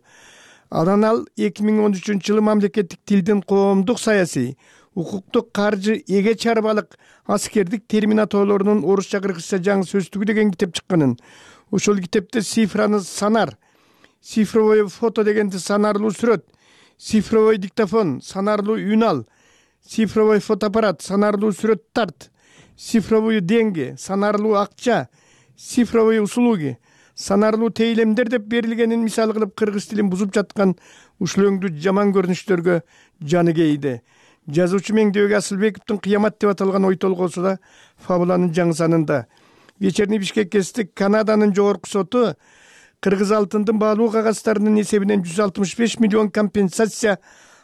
Анан ал 2013 жылы мамлекеттик тилдин коомдук саясий, укуктук, каржы, эге чарбалык, аскердик терминатоолорунун орусча кыргызча жаңы сөздүгү деген китеп чыкканын. Ошол китепте цифраны санар, цифровой фото дегенди санарлуу сүрөт, цифровой диктофон, санарлуу үн ал, цифровой фотоаппарат, санарлуу сүрөт тарт, цифровой деньги, санарлуу акча, цифровой услуги, санарлуу тейлемдер деп берилгенин мисал кылып кыргыз тилин бузуп жаткан ушул өңдүү жаман көрүнүштөргө жаны кейди. Жазуучу Меңдебек Асылбековдун «Кыямат» деп аталган ой толгоосу да фабуланын жаңы санында. Вечерний Бишкек кездик Канаданын жогорку соту кыргыз алтындын баалуу кагаздарынын эсебинен 165 миллион компенсация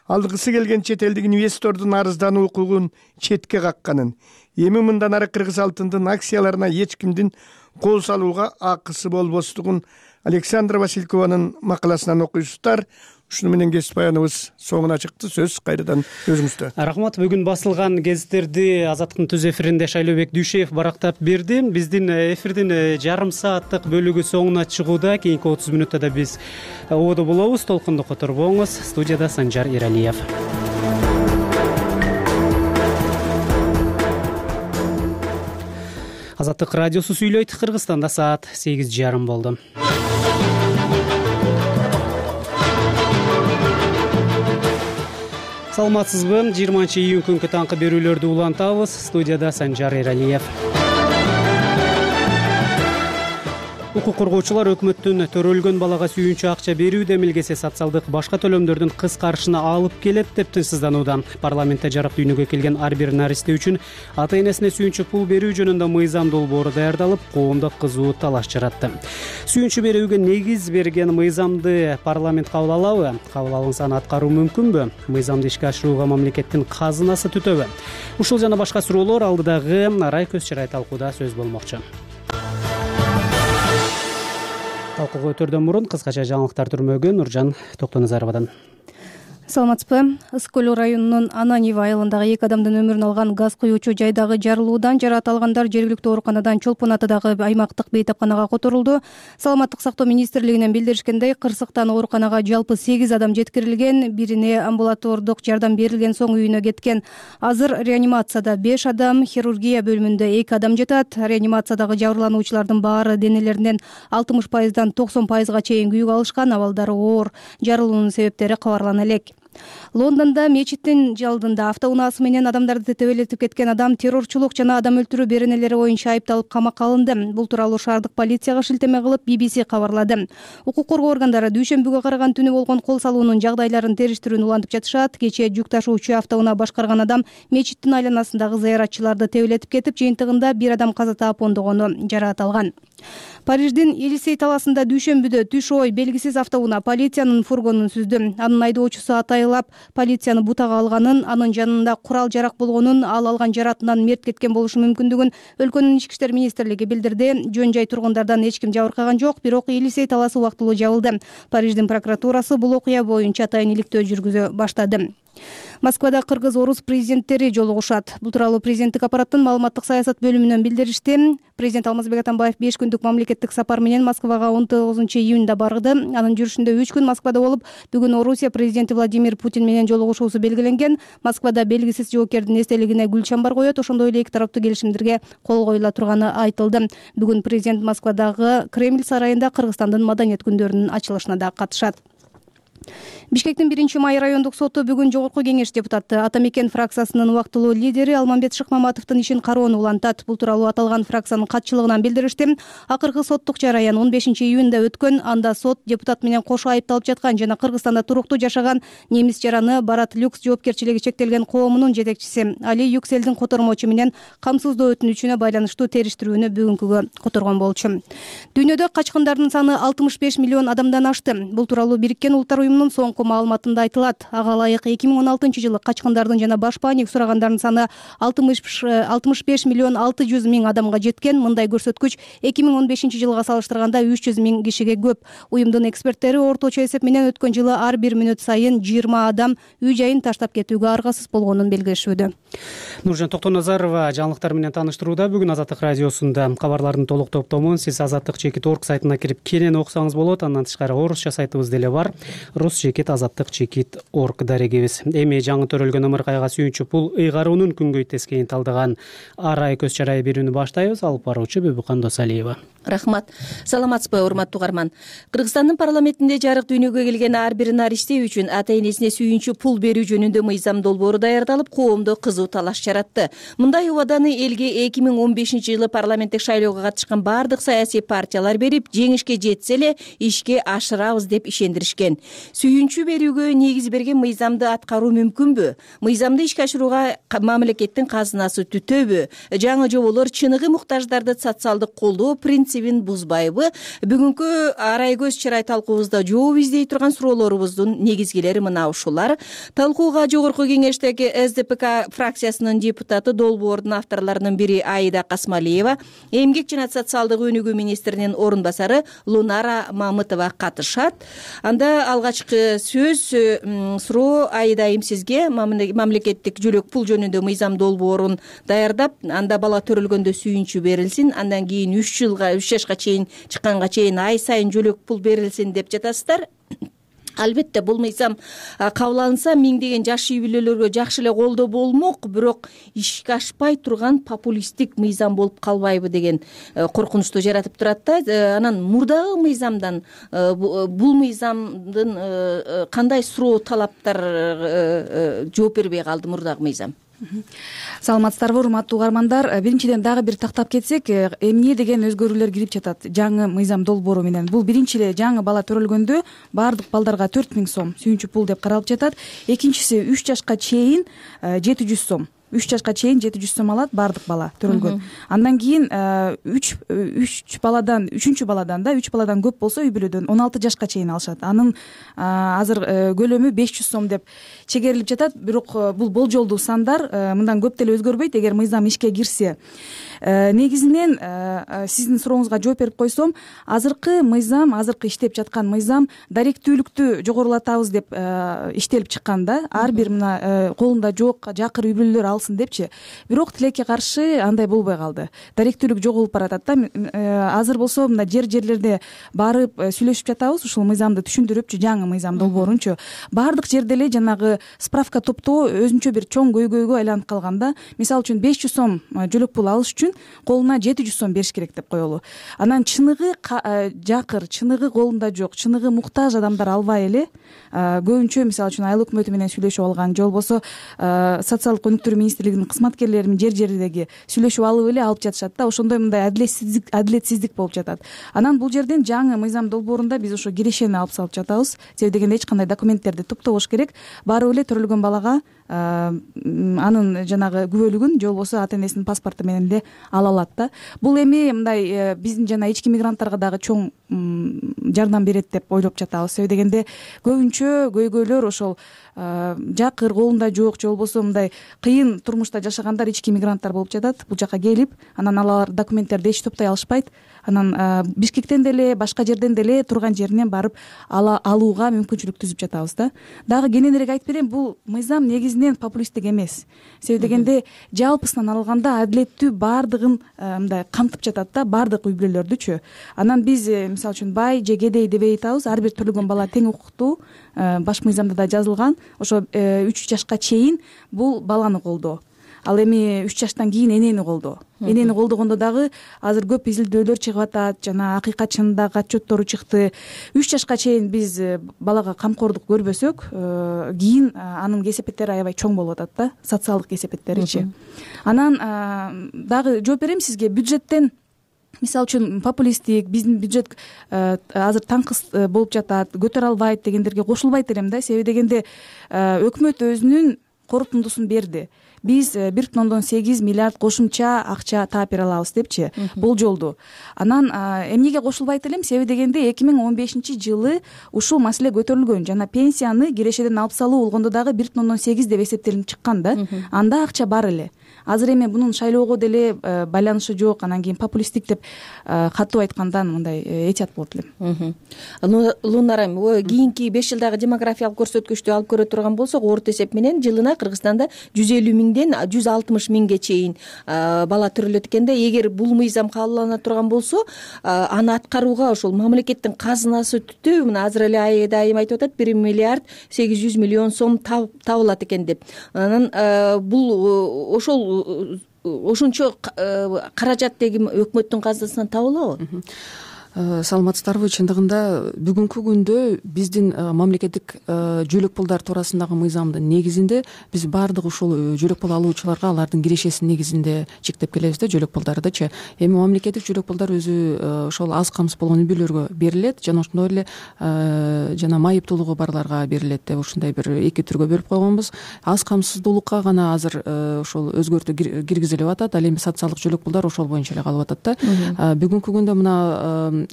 алгысы келген чет элдик инвестордун арыздануу укугун четке какканын, эми мындан ары кыргыз алтындын акцияларына эч кимдин кол салууга акысы болбостугун Александра Василькованын макаласынан окуйсуздар. Ушуну менен кесип баяныбыз соңуна чыкты. Сөз кайрадан өзүңүздө. Рахмат. Бүгүн басылган гезиттерди Азаттыктын түз эфиринде Шайлообек Дүйшеев барактап берди. Биздин эфирдин жарым сааттык бөлүгү соңуна чыгууда. Кийинки 30 мүнөттө да биз ободо болобуз. Толкунду которбоңуз. Студияда Санжар Иралиев. Азаттык радиосу сүйлөйт. Кыргызстанда саат 8:30 болду. Саламатсызбы? 20-июнь күнкү таңкы берүүлөрдү улантабыз. Студияда Санжар Иралиев. Укук коргоочулар өкмөттүн төрөлгөн балага сүйүүнчү акча берүү демилгеси социалдык башка төлөмдөрдүн кыскарышына алып келет деп тынчсызданууда. Парламентте жарык дүйнөгө келген ар бир наристе үчүн ата энесине сүйүүнчү пул берүү жөнүндө мыйзам долбоору даярдалып, коомдо кызуу талаш жаратты. Сүйүүнчү берүүгө негиз берген мыйзамды парламент кабыл алабы? Кабыл алынса аны аткаруу мүмкүнбү? Мыйзамды ишке ашырууга мамлекеттин казынасы түтөбү? Ушул жана башка суроолор алдыдагы Арай көз чырай талкууда сөз болмокчу. Талкууга өтөрдөн мурун кыскача жаңылыктар түрмөгү Нуржан Токтоназаровадан. Саламатсызбы? Ысык-Көл районунун Ананьево айылындагы 2 адамдын өмүрүн алган газ куюучу жайдагы жарылуудан жараат алгандар жергиликтүү ооруканадан Чолпон атадагы аймактык бейтапканага которулду. Саламаттык сактоо министрлигинен билдиришкендей, Кырсыктан ооруканага жалпы 8 адам жеткирилген, бирине амбулатордук жардам берилген соң үйүнө кеткен. Азыр реанимацияда 5 адам, хирургия бөлүмүндө 2 адам жатат. Реанимациядагы жабырлануучулардын баары денелеринен 60%дан 90%га чейин күйүк алышкан, абалдары оор. Жарылуунун себептери кабарлана элек. Лондонда мечиттин алдында автоунаасы менен адамдарды тебелетип кеткен адам террорчулук жана адам өлтүрүү беренелери боюнча айыпталып камакка алынды. Бул тууралуу шаардык полицияга шилтеме кылып BBC кабарлады. Укук коргоо органдары дүйшөмбүгө караган түнү болгон кол салуунун жагдайларын териштирүүнү улантып жатышат. Кечээ жүк ташуучу автоунаа башкарган адам мечиттин айланасындагы зыяратчыларды тебелетип кетип, жыйынтыгында 1 адам каза таап, ондогону жараат алган. Париждин Елисей таласында дүйшөмбүдө түш ой белгисиз автоунаа полициянын фургонун сүздү. Анын айдоочусу атайлап полицияны бутага алганын, анын жанында курал жарак болгонун, ал алган жаратынан мерт кеткен болушу мүмкүндүгүн өлкөнүн ички иштер министрлиги билдирди. Жөн жай тургундардан эч ким жабыркаган жок, бирок Елисей таласы убактылуу жабылды. Париждин прокуратурасы бул окуя боюнча атайын иликтөө жүргүзө баштады. Москвада кыргыз-орус президенттери жолугушат. Бул тууралуу президенттик аппараттын маалыматтык саясат бөлүмүнөн билдиришти. Президент Алмазбек Атамбаев 5 күндүк мамлекеттик сапар менен Москвага 19-июнда барды. Анын жүрүшүндө 3 күн Москвада болуп, бүгүн Орусия президенти Владимир Путин менен жолугушуусу белгиленген. Москвада белгисиз жоокердин эстелигине гүл чамбар коет, ошондой эле эки тараптуу келишимдерге кол коюла турганы айтылды. Бүгүн президент Москвадагы Кремль сарайында Кыргызстандын маданият күндөрүнүн ачылышына да катышат. Бишкектин 1-май райондук соту бүгүн жогорку кеңеш депутаты Ата Мекен фракциясынын убактылуу лидери Алмамбет Шыкмаматовдун ишин кароону улантат. Бул тууралуу аталган фракциянын катчылыгынан билдиришти. Акыркы соттук жараян 15-июнда өткөн. Анда сот депутат менен кошо айыпталып жаткан жана Кыргызстанда туруктуу жашаган немис жараны Барат Люкс жоопкерчилиги чектелген коомунун жетекчиси Али Юкселдин котормочу менен камсыздоо өтүнүчүнө байланыштуу териштирүүнү бүгүнкүгө которгон болчу. Дүйнөдө качкындардын саны 65 миллион адамдан ашты. Бул тууралуу Бириккен Улуттар уюмунун соңку маалыматында айтылат. Ага ылайык 2016-жылы качкындардын жана баш паник сурагандардын саны 65 миллион 600 миң адамга жеткен. Мындай көрсөткүч 2015-жылга салыштырганда 300 миң кишиге көп. Уюмдун эксперттери орточо эсеп менен өткөн жылы ар бир мүнөт сайын 20 адам үй жайын таштап кетүүгө аргасыз болгонун белгилешүүдө. Нуржан Токтоназарова жаңылыктар менен тааныштырууда. Бүгүн Азаттык радиосунда кабарлардын толук топтомун сиз azattik.org сайтына кирип кенен окусаңыз болот. Андан тышкары орусча сайтыбыз деле бар. rus.azattik.org дарегибиз. Эми жаңы төрөлгөн ымыркайга сүйүүнчү пул ыйгаруунун күнгөй тескейин талдаган Арай көз чарай берүүнү баштайбыз. Алып баруучу Бүбүкан Досалиева. Рахмат. Саламатсызбы, урматтуу угарман. Кыргызстандын парламентинде жарык дүйнөгө келген ар бир нариште үчүн ата энесине сүйүнчү пул берүү жөнүндө мыйзам долбоору даярдалып, коомдо кызуу талаш жаратты. Мындай убаданы элге 2015-жылы парламенттик шайлоого катышкан бардык саясий партиялар берип, жеңишке жетсе эле ишке ашырабыз деп ишендиришкен. Сүйүнчү берүүгө негиз берген мыйзамды аткаруу мүмкүнбү? Мыйзамды ишке ашырууга мамлекеттин казынасы түтөбү? Жаңы жоболор чыныгы муктаждарды социалдык колдоо принцибин бузбайбы? Бүгүнкү арай көз чырай талкуубузда жооп издей турган суроолорубуздун негизгилери мына ушулар. Талкууга жогорку кеңештеги СДПК фракциясынын депутаты, долбоордун авторлорунун бири Аида Касмалиева, эмгек жана социалдык өнүгүү министринин орун басары Лунара Мамытова катышат. Анда алгачкы сөз суроо Аида айым сизге. Мамлекеттик жөлөк пул жөнүндө мыйзам долбоорун даярдап, анда бала төрөлгөндө сүйүнчү берилсин, андан кийин 3 жашка чейин чыкканга чейин ай сайын жөлөк пул берилсин деп жатасыздар. Албетте бул мыйзам кабыл алынса миңдеген жаш үй бүлөлөргө жакшы эле колдоо болмок, бирок ишке ашпай турган популисттик мыйзам болуп калбайбы деген коркунучту жаратып турат да. Анан мурдагы мыйзамдан бул мыйзамдын кандай суроо талаптар жооп бербей калды мурдагы мыйзам? Саламатсыздарбы, урматтуу угармандар. Биринчиден дагы бир тактап кетсек, эмне деген өзгөрүүлөр кирип жатат жаңы мыйзам долбоору менен. Бул биринчи эле жаңы бала төрөлгөндө бардык балдарга 4000 сом сүйүнчү пул деп каралып жатат. Экинчиси 3 жашка чейин 700 сом. 3 жашка чейин 700 сом алат бардык бала төрөлгөн. Андан кийин 3 баладан көп болсо үй бүлөдөн 16 жашка чейин алышат. Анын азыр көлөмү 500 сом деп чегерилип жатат. Бирок бул болжолдуу сандар, мындан көп деле өзгөрбөйт эгер мыйзам ишке кирсе. Негизинен сиздин сурооңузга жооп берип койсом, азыркы иштеп жаткан мыйзам даректүүлүктү жогорулатабыз деп иштелип чыккан да. Ар бир мына колунда жок жакыр үй бүлөлөр алсын депчи. Бирок тилекке каршы андай болбой калды. Даректүүлүк жоголуп баратат да. Азыр болсо мына жерлерде барып сүйлөшүп жатабыз, ушул мыйзамды түшүндүрүпчү, жаңы мыйзам долбоорунчу. Бардык жерде эле жанагы справка топтоо өзүнчө бир чоң көйгөйгө айланып калганда. Мисалы үчүн 500 сом жөлөк пул алыш үчүн колуна 700 сом бериш керек деп коелу. Анан чыныгы жакыр, чыныгы колунда жок, чыныгы муктаж адамдар албай эле көбүнчө мисалы үчүн айыл өкмөтү менен сүйлөшүп алган, же болбосо социалдык өнүктүрүү министрлигинин кызматкерлери жер-жердеги сүйлөшүп алып эле алып жатышат да. Ошондой мындай адилетсиздик болуп жатат. Анан бул жерден жаңы мыйзам долбоорунда биз ошо кирешени алып салып жатабыз. Себеби дегенде эч кандай документтерди топтобош керек. Барып эле төрөлгөн балага анын жанагы күбөлүгүн же болбосо ата энесинин паспорту менен эле ала алат да. Бул эми мындай биздин жана ички мигранттарга дагы чоң жардам берет деп ойлоп жатабыз. Себеби дегенде көбүнчө көйгөйлөр ошол жакыр, колунда жок, же болбосо мындай кыйын турмушта жашагандар ички мигранттар болуп жатат. Бул жака келип, анан алар документтерди эч топтой алышпайт. Анан Бишкектен деле, башка жерден деле турган жеринен барып алууга мүмкүнчүлүк түзүп жатабыз да. Дагы кененирээк айтып берейин, бул мыйзам негизинен популисттик эмес. Себеби дегенде жалпысынан алганда адилеттүү бардыгын мындай камтып жатат да, бардык үй бүлөлөрдүчү. Анан биз мисалы үчүн бай же кедей дебей атабыз, ар бир төрөлгөн бала тең укуктуу. Баш мыйзамда да жазылган. Ошо 3 жашка чейин бул баланы колдоо. Ал эми 3 жаштан кийин энени колдоо. Энени колдогондо дагы азыр көп изилдөөлөр чыгып атат, жана акыйкат чынындагы отчеттору чыкты. 3 жашка чейин биз балага камкордук көрбөсөк, кийин анын кесепеттери аябай чоң болуп атат да, социалдык кесепеттеричи. Анан дагы жооп берем сизге. Бюджеттен мисалы үчүн популисттик, биздин бюджет азыр таңкыс болуп жатат, көтөрө албайт дегендерге кошулбайт элем да. Себеби дегенде өкмөт өзүнүн корутундусун берди. Биз 1,8 миллиард кошумча акча таап бере алабыз депчи, болжолду. Анан эмнеге кошулбайт элем? Себеби дегенде 2015-жылы ушул маселе көтөрүлгөн, жана пенсияны кирешеден алып салуу болгондо дагы 1,8 деп эсептелип чыккан да. Анда акча бар эле. Азыр эми бунун шайлоого деле байланышы жок, анан кийин популисттик деп катуу айткандан мындай этият болот элем. Лунара, кийинки 5 жылдагы демографиялык көрсөткүчтү алып көрө турган болсок, орто эсеп менен жылына Кыргызстанда 150 миңден 160 миңге чейин бала төрөлөт экен да. Эгер бул мыйзам кабылдана турган болсо, аны аткарууга ошол мамлекеттин казынасы түтөбү? Мына азыр эле Айда айым айтып атат, 1 миллиард 800 миллион сом табылат экен деп. Анан бул ошол ошончо каражат деги өкмөттүн казынасынан табылабы? Саламатсыздарбы? Чындыгында бүгүнкү күндө биздин мамлекеттик жөлөк пулдар туурасындагы мыйзамдын негизинде биз баардык ушул жөлөк пул алуучуларга алардын кирешесинин негизинде чектеп келебиз да, жөлөк пулдардычы. Эми мамлекеттик жөлөк пулдар өзү ошол аз камсыз болгон үй бүлөлөргө берилет жана ошондой эле жана майыптуулугу барларга берилет деп ушундай бир эки түргө бөлүп койгонбуз. Аз камсыздуулукка гана азыр ошол өзгөртүү киргизилип атат. Ал эми социалдык жөлөк пулдар ошол боюнча эле калып атат да. Бүгүнкү күндө мына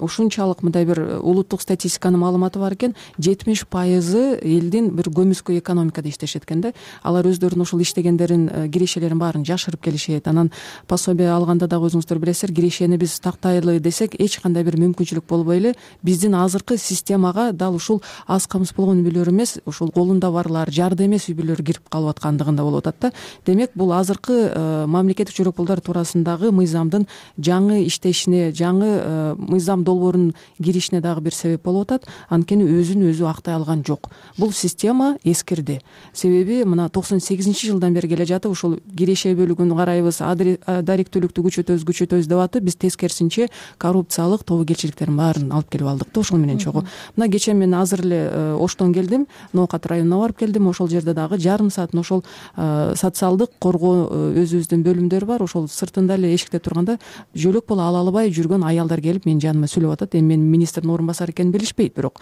ушунчалык мындай бир улуттук статистиканын маалыматы бар экен, 70% элдин бир көмүскө экономикада иштешет экен да. Алар өздөрүнүн ошол иштегендерин, кирешелерин баарын жашырып келишет. Анан пособие алганда дагы өзүңүздөр билесиздер, кирешени биз тактайлы десек эч кандай бир мүмкүнчүлүк болбой эле биздин азыркы системага дал ушул аз камсыз болгон үй бүлөлөр эмес, ушул колунда барлар, жарды эмес үй бүлөлөр кирип калып аткандыгында болуп атат да. Демек бул азыркы мамлекеттик жөлөк пулдар туурасындагы мыйзамдын жаңы иштешине, жаңы мыйзам долбоорунун киришине дагы бир себеп болуп атат. Анткени өзүн өзү актай алган жок. Бул система эскирди. Себеби мына 98-жылдан бери келе жатып ушул киреше бөлүгүн карайбыз, даректүүлүктү күчөтөбүз деп атып, биз тескерисинче коррупциялык тобокелчиликтердин баарын алып келип алдык да ошол менен чогуу. Мына кечээ мен азыр эле Оштон келдим, Ноокат районуна барып келдим. Ошол жерде дагы жарым саатын ошол социалдык коргоо өзүбүздүн бөлүмдөр бар. Ошол сыртында эле эшикте турганда жөлөк пул ала албай жүргөн аялдар келип менин жаныма сүйлөп атат. Эми мен министрдин орун басары экенин билишпейт, бирок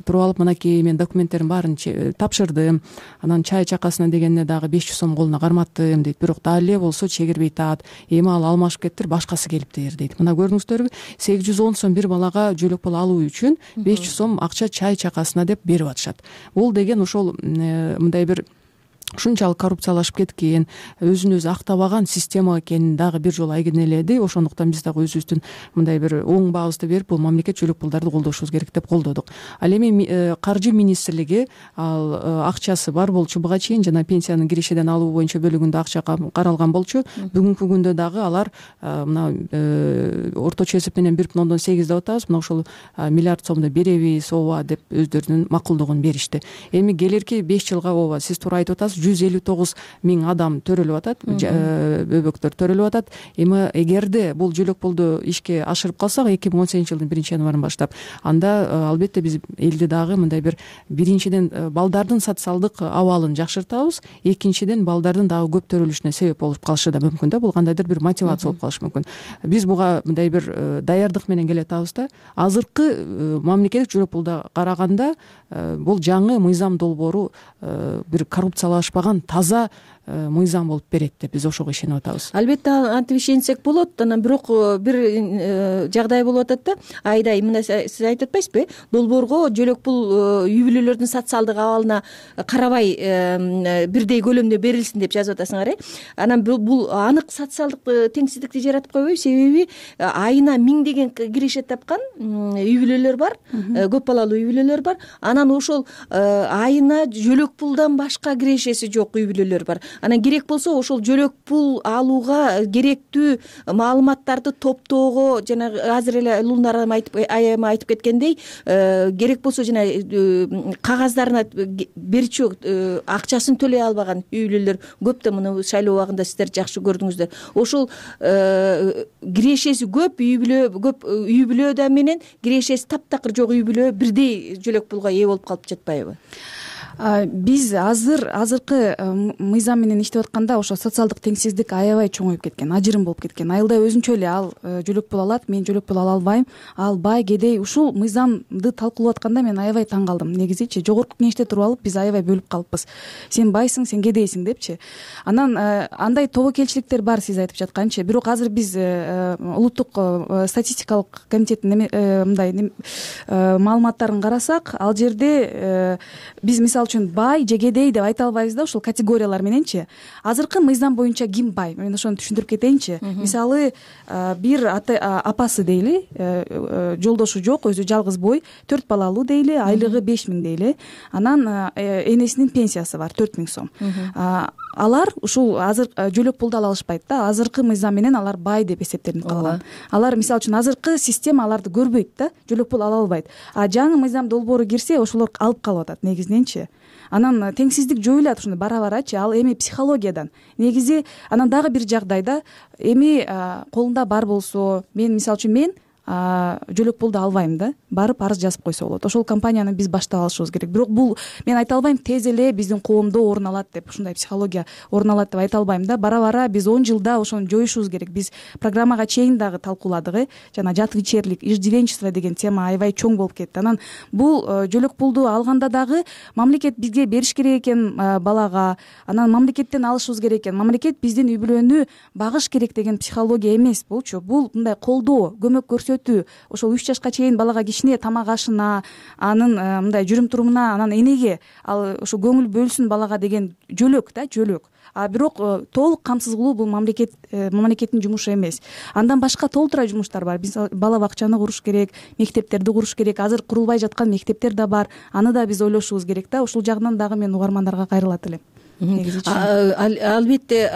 туруп алып мынакей мен документтердин баарын тапшырдым. Анан чай чакасына дегенине дагы 500 сом колуна карматтым дейт. Бирок дал эле болсо чегирбей атат. Эми ал алмашып кеттир, башкасы келиптир дейт. Мына көрдүңүздөрбү, 810 сом бир балага жөлөк пул алуу үчүн 500 сом акча чай чакасына деп берип атышат. Бул деген ошол мындай бир ушунчалык коррупциялашып кеткен, өзүн өзү актабаган система экенин дагы бир жолу айгинеледи. Ошондуктан биз дагы өзүбүздүн мындай бир оң баабызды берип, бул мамлекет жөлөк пулдарды колдошубуз керек деп колдодук. Ал эми каржы министрлиги ал акчасы бар болчу буга чейин, жана пенсиянын кирешеден алуу боюнча бөлүгүндө акча каралган болчу. Бүгүнкү күндө дагы алар мына орточо эсеп менен 1,8 деп атабыз. Мына ошол миллиард сомду беребиз ооба деп өздөрүнүн макулдугун беришти. Эми келерки 5 жылга ооба сиз туура айтып атасыз, 159 миң адам төрөлүп атат, бөбөктөр төрөлүп атат. Эми эгерде бул жөлөк пулду ишке ашырып калсак 2018 жылдын 1-январынан баштап, анда албетте биз элди дагы мындай бир биринчиден балдардын социалдык абалын жакшыртабыз, экинчиден балдардын дагы көп төрөлүшүнө себеп болуп калышы да мүмкүн да. Бул кандайдыр бир мотивация болуп калышы мүмкүн. Биз буга мындай бир даярдык менен келе атабыз да. Азыркы мамлекеттик жөлөк пулда караганда бул жаңы мыйзам долбоору бир коррупциялашпаган таза мыйзам болуп берет деп биз ошого ишенип атабыз. Албетте антип ишенсек болот. Анан бирок бир жагдай болуп атат да. Айдай мына сиз айтып атпайсызбы? Долбоорго жөлөк пул үй бүлөлөрдүн социалдык абалына карабай бирдей көлөмдө берилсин деп жазып атасыңар, Анан бул анык социалдык теңсиздикти жаратып койбойбу? Себеби айына 1000 деген киреше тапкан үй бүлөлөр бар, көп балалуу үй бүлөлөр бар. Анан ошол айына жөлөк пулдан башка кирешеси жок үй бүлөлөр бар. Анан керек болсо ошол жөлөк пул алууга керектүү маалыматтарды топтоого, жана азыр эле Лунар айыма айтып кеткендей, керек болсо жана кагаздарына берчү акчасын төлөй албаган үй бүлөлөр көп да. Муну шайлоо убагында сиздер жакшы көрдүңүздөр. Ошол кирешеси көп үй бүлөдө менен кирешеси таптакыр жок үй бүлө бирдей жөлөк пулга ээ болуп калып жатпайбы? Биз азыркы мыйзам менен иштеп атканда ошо социалдык теңсиздик аябай чоңоюп кеткен, ажырым болуп кеткен. Айылда өзүнчө эле ал жөлөк пул алат, мен жөлөк пул ала албайм, ал бай, кедей. Ушул мыйзамды талкуулап атканда мен аябай таң калдым. Негизичи жогорку кеңеште туруп алып биз аябай бөлүп калыппыз. Сен байсың, сен кедейсиң депчи. Анан андай тобокелчиликтер бар сиз айтып жатканчы. Бирок азыр биз улуттук статистикалык комитеттин мындай маалыматтарын карасак, ал жерде биз мисалы үчүн бай же кедей деп айта албайбыз да, ушул категориялар мененчи. Азыркы мыйзам боюнча ким бай? Мен ошону түшүндүрүп кетейинчи. Мисалы бир апасы дейли, жолдошу жок, өзү жалгыз бой, 4 балалуу дейли, айлыгы 5000 дейли. Анан энесинин пенсиясы бар 4000 сом. Алар ушул азыр жөлөк пулду ала алышпайт да. Азыркы мыйзам менен алар бай деп эсептелинип калган. Алар мисалы үчүн азыркы система аларды көрбөйт да, жөлөк пул ала албайт. А жаңы мыйзам долбоору кирсе ошолор алып калып атат негизиненчи. анан теңсиздик жоюлат ушундай бара барачы. Ал эми психологиядан негизи. Анан дагы бир жагдайда эми колунда бар болсо, мен мисалы үчүн мен жөлөк пулду албайм да, барып арыз жазып койсо болот. Ошол компанияны биз баштап алышыбыз керек. Бирок бул мен айта албайм тез эле биздин коомдо орун алат деп, ушундай психология орун алат деп айта албайм да. Бара бара биз 10 жылда ошону жоюшубуз керек. Биз программага чейин дагы талкууладык, жана жатвичерлик, иждивенчество деген тема аябай чоң болуп кетти. Анан бул жөлөк пулду алганда дагы мамлекет бизге бериш керек экен балага, анан мамлекеттен алышыбыз керек экен. Мамлекет биздин үй бүлөнү багыш керек деген психология эмес булчу. Бул мындай колдоо, көмөк көрсөтүү. Ошол 3 жашка чейин балага кичине тамак ашына, анын мындай жүрүм турумуна, анан энеге ал ошо көңүл бөлсүн балага деген жөлөк да, жөлөк. Бирок толук камсыз кылуу бул мамлекеттин жумушу эмес. Андан башка толтура жумуштар бар. Биз бала бакчаны куруш керек, мектептерди куруш керек. Азыр курулбай жаткан мектептер да бар. Аны да биз ойлошубуз керек да. Ушул жагынан дагы мен угармандарга кайрылат элем. Албетте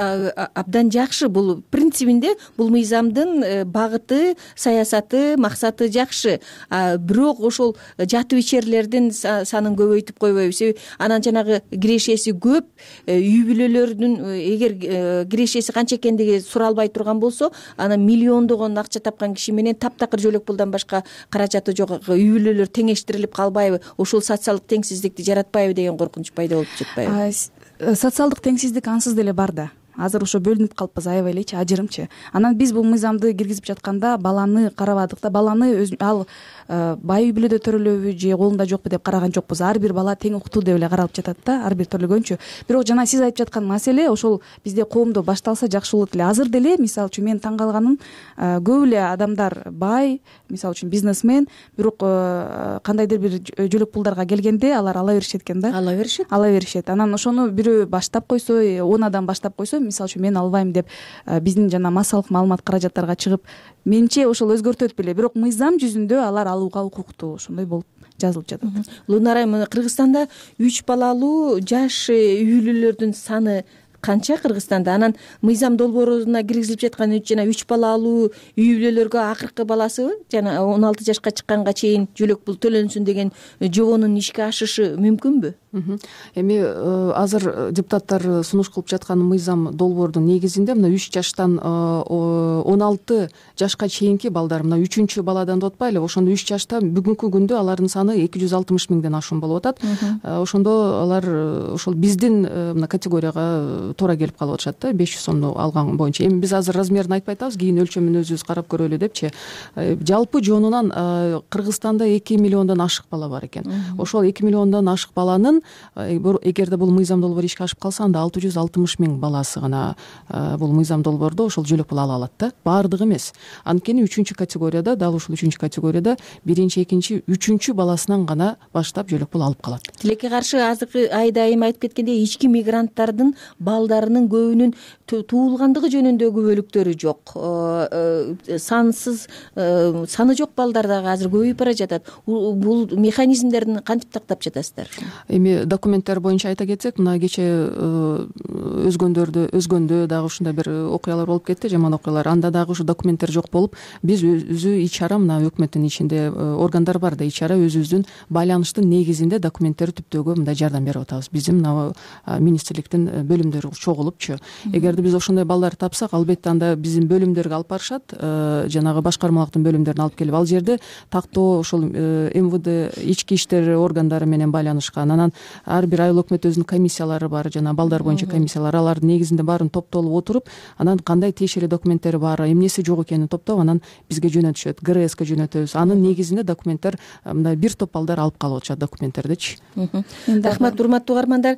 абдан жакшы. Бул принцибинде бул мыйзамдын багыты, саясаты, максаты жакшы. Бирок ошол жатып ичерлердин санын көбөйтүп койбойбуз. Себеби анан жанагы кирешеси көп үй бүлөлөрдүн эгер кирешеси канча экендиги суралбай турган болсо, анан миллиондогон акча тапкан киши менен таптакыр жөлөк пулдан башка каражаты жок үй бүлөлөр теңештирилип калбайбы? Ошол социалдык теңсиздикти жаратпайбы деген коркунуч пайда болуп жатпайбы? Социалдык теңсиздик ансыз деле бар да. Азыр ошо бөлүнүп калыппыз аябай элечи, ажырымчы. Анан биз бул мыйзамды киргизип жатканда баланы карабадык да, баланы ал бай үй бүлөдө төрөлөбү же колунда жокпу деп караган жокпуз. Ар бир бала тең укуктуу деп эле каралып жатат да, ар бир төрөлгөнчү. Бирок жана сиз айтып жаткан маселе ошол бизде коомдо башталса жакшы болот эле. Азыр деле мисалы үчүн мен таң калганым, көп эле адамдар бай, мисалы үчүн бизнесмен, бирок кандайдыр бир жөлөк пулдарга келгенде алар ала беришет экен да. Ала беришет. Анан ошону бирөө баштап койсо, 10 адам баштап койсо, мисалы үчүн мен албайм деп биздин жана массалык маалымат каражаттарга чыгып, менимче ошол өзгөртөт беле. Бирок мыйзам жүзүндө алар алууга укуктуу, ошондой болуп жазылып жатат. Лунара айым, Кыргызстанда 3 балалуу жаш үй бүлөлөрдүн саны канча Кыргызстанда? Анан мыйзам долбооруна киргизилип жаткан жана 3 балалуу үй бүлөлөргө акыркы баласы жана 16 жашка чыкканга чейин жөлөк пул төлөнсүн деген жобонун ишке ашышы мүмкүнбү? Эми азыр депутаттар сунуш кылып жаткан мыйзам долбоордун негизинде мына 3 жаштан 16 жашка чейинки балдар, мына 3-чү баладан деп атпайлы, ошондо 3 жашта бүгүнкү күндө алардын саны 260 миңден ашуун болуп атат. Ошондо алар ошол биздин мына категорияга туура келип калып атышат да, 500 сомду алган боюнча. Эми биз азыр размерин айтпай атабыз, кийин өлчөмүн өзүбүз карап көрөлү депчи. Жалпы жонунан Кыргызстанда 2 миллиондон ашык бала бар экен. Ошол 2 миллиондон ашык баланын эгерде бул мыйзам долбоору ишке ашып калса, анда 660 миң баласы гана бул мыйзам долбоордо ошол жөлөк пул ала алат да. Баардыгы эмес. Анткени 3-чү категорияда, дал ушул 3-чү категорияда 1-чи, 2-чи, 3-чү баласынан гана баштап жөлөк пул алып калат. Тилекке каршы азыркы айда айым айтып кеткендей, ички мигранттардын балдарынын көбүнүн туулгандыгы жөнүндө күбөлүктөрү жок. Саны жок балдар дагы азыр көбөйүп бара жатат. Бул механизмдерин кантип тактап жатасыздар? Эми документтер боюнча айта кетсек, мына кече өзгөндө дагы ушундай бир окуялар болуп кетти, жаман окуялар. Анда дагы ушу документтер жок болуп, биз өзү ич-чара, мына өкмөттүн ичинде органдар бар да, ич-чара өзүбүздүн байланыштын негизинде документтерди түптөөгө мындай жардам берип атабыз. Биздин мына министрликтин бөлүмдөрү чогулупчу. Эгерде биз ошондой балдарды тапсак, албетте анда биздин бөлүмдөргө алып барышат, жанагы башкармалыктын бөлүмдөрүнө алып келип, ал жерде тактоо ошол МВД ички иштер органдары менен байланышкан. Анан ар бир айыл өкмөт өзүнүн комиссиялары бар, жана балдар боюнча комиссиялар, алардын негизинде баарын топтолуп отуруп, анан кандай тиешелүү документтери бар, эмнеси жок экенин топтоп, анан бизге жөнөтүшөт, ГРСке жөнөтөбүз. Анын негизинде документтер мындай бир топ балдар алып калып атышат документтердичи. Рахмат, урматтуу угармандар.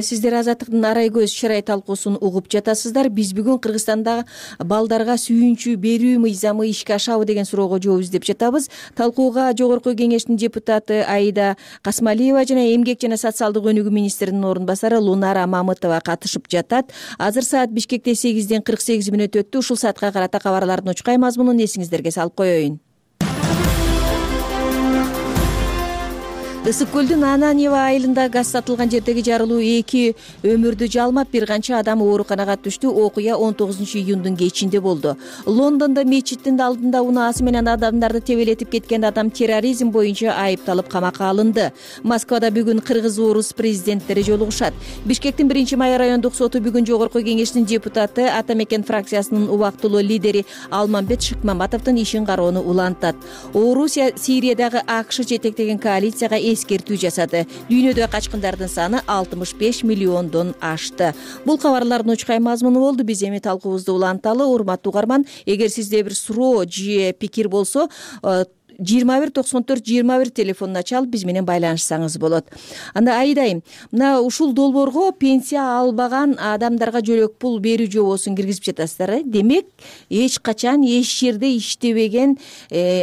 Сиздер Азаттыктын арай көз чырай талкуусун угуп жатасыздар. Биз бүгүн Кыргызстанда балдарга сүйүнчү берүү мыйзамы ишке ашабы деген суроого жооп издеп жатабыз. Талкууга Жогорку Кеңештин депутаты Аида Касмалиева жана Эмгек жана социалдык өнүгүү министринин орун басары Лунара Мамытова катышып жатат. Азыр саат Бишкекте 8:48 өттү. Ушул саатка карата кабарлардын учкай мазмунун эсиңиздерге салып коеюн. Ысык көлдүн Ананьева айылында газ сатылган жердеги жарылуу 2 өмүрдү жалмап, бир канча адам ооруканага түштү. Окуя 19-июндун кечинде болду. Лондондо мечиттин алдында унаасы менен адамдарды тебелетип кеткен адам терроризм боюнча айыпталып камакка алынды. Москвада бүгүн кыргыз, орус президенттери жолугушат. Бишкектин 1-май райондук соту бүгүн жогорку кеңештин депутаты, Ата Мекен фракциясынын убактылуу лидери Алмамбет Шыкмаматовдун ишин кароону улантат. Орусия Сириядагы АКШ жетектеген коалицияга эскертүү жасады. Дүйнөдө качкындардын саны 65 миллиондон ашты. Бул кабарлардын учкай мазмуну болду. Биз эми талкуубузду уланталы. Урматтуу угарман, эгер сизде бир суроо же пикир болсо, 2194-21 телефонуна чалып биз менен байланышсаңыз болот. Анда Айдайым, мына ушул долбоорго пенсия албаган адамдарга жөлөк пул берүү жобосун киргизип жатасыздар. Демек, эч качан эч жерде иштебеген,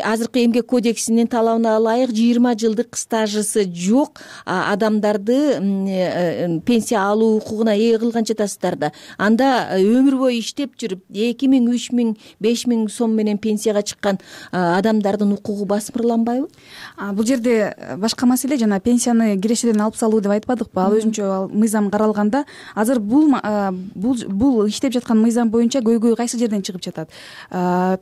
азыркы эмгек кодексинин талабына ылайык 20 жылдык стажысы жок адамдарды пенсия алуу укугуна ээ кылган жатасыздар да. Анда өмүр бою иштеп жүрүп 2000, 3000, 5000 сом менен пенсияга чыккан адамдардын укугу басмырланбайбы? Бул жерде башка маселе, жана пенсияны кирешеден алып салуу деп айтпадыкпы? Ал өзүнчө мыйзам каралганда, азыр бул иштеп жаткан мыйзам боюнча көйгөй кайсы жерден чыгып жатат?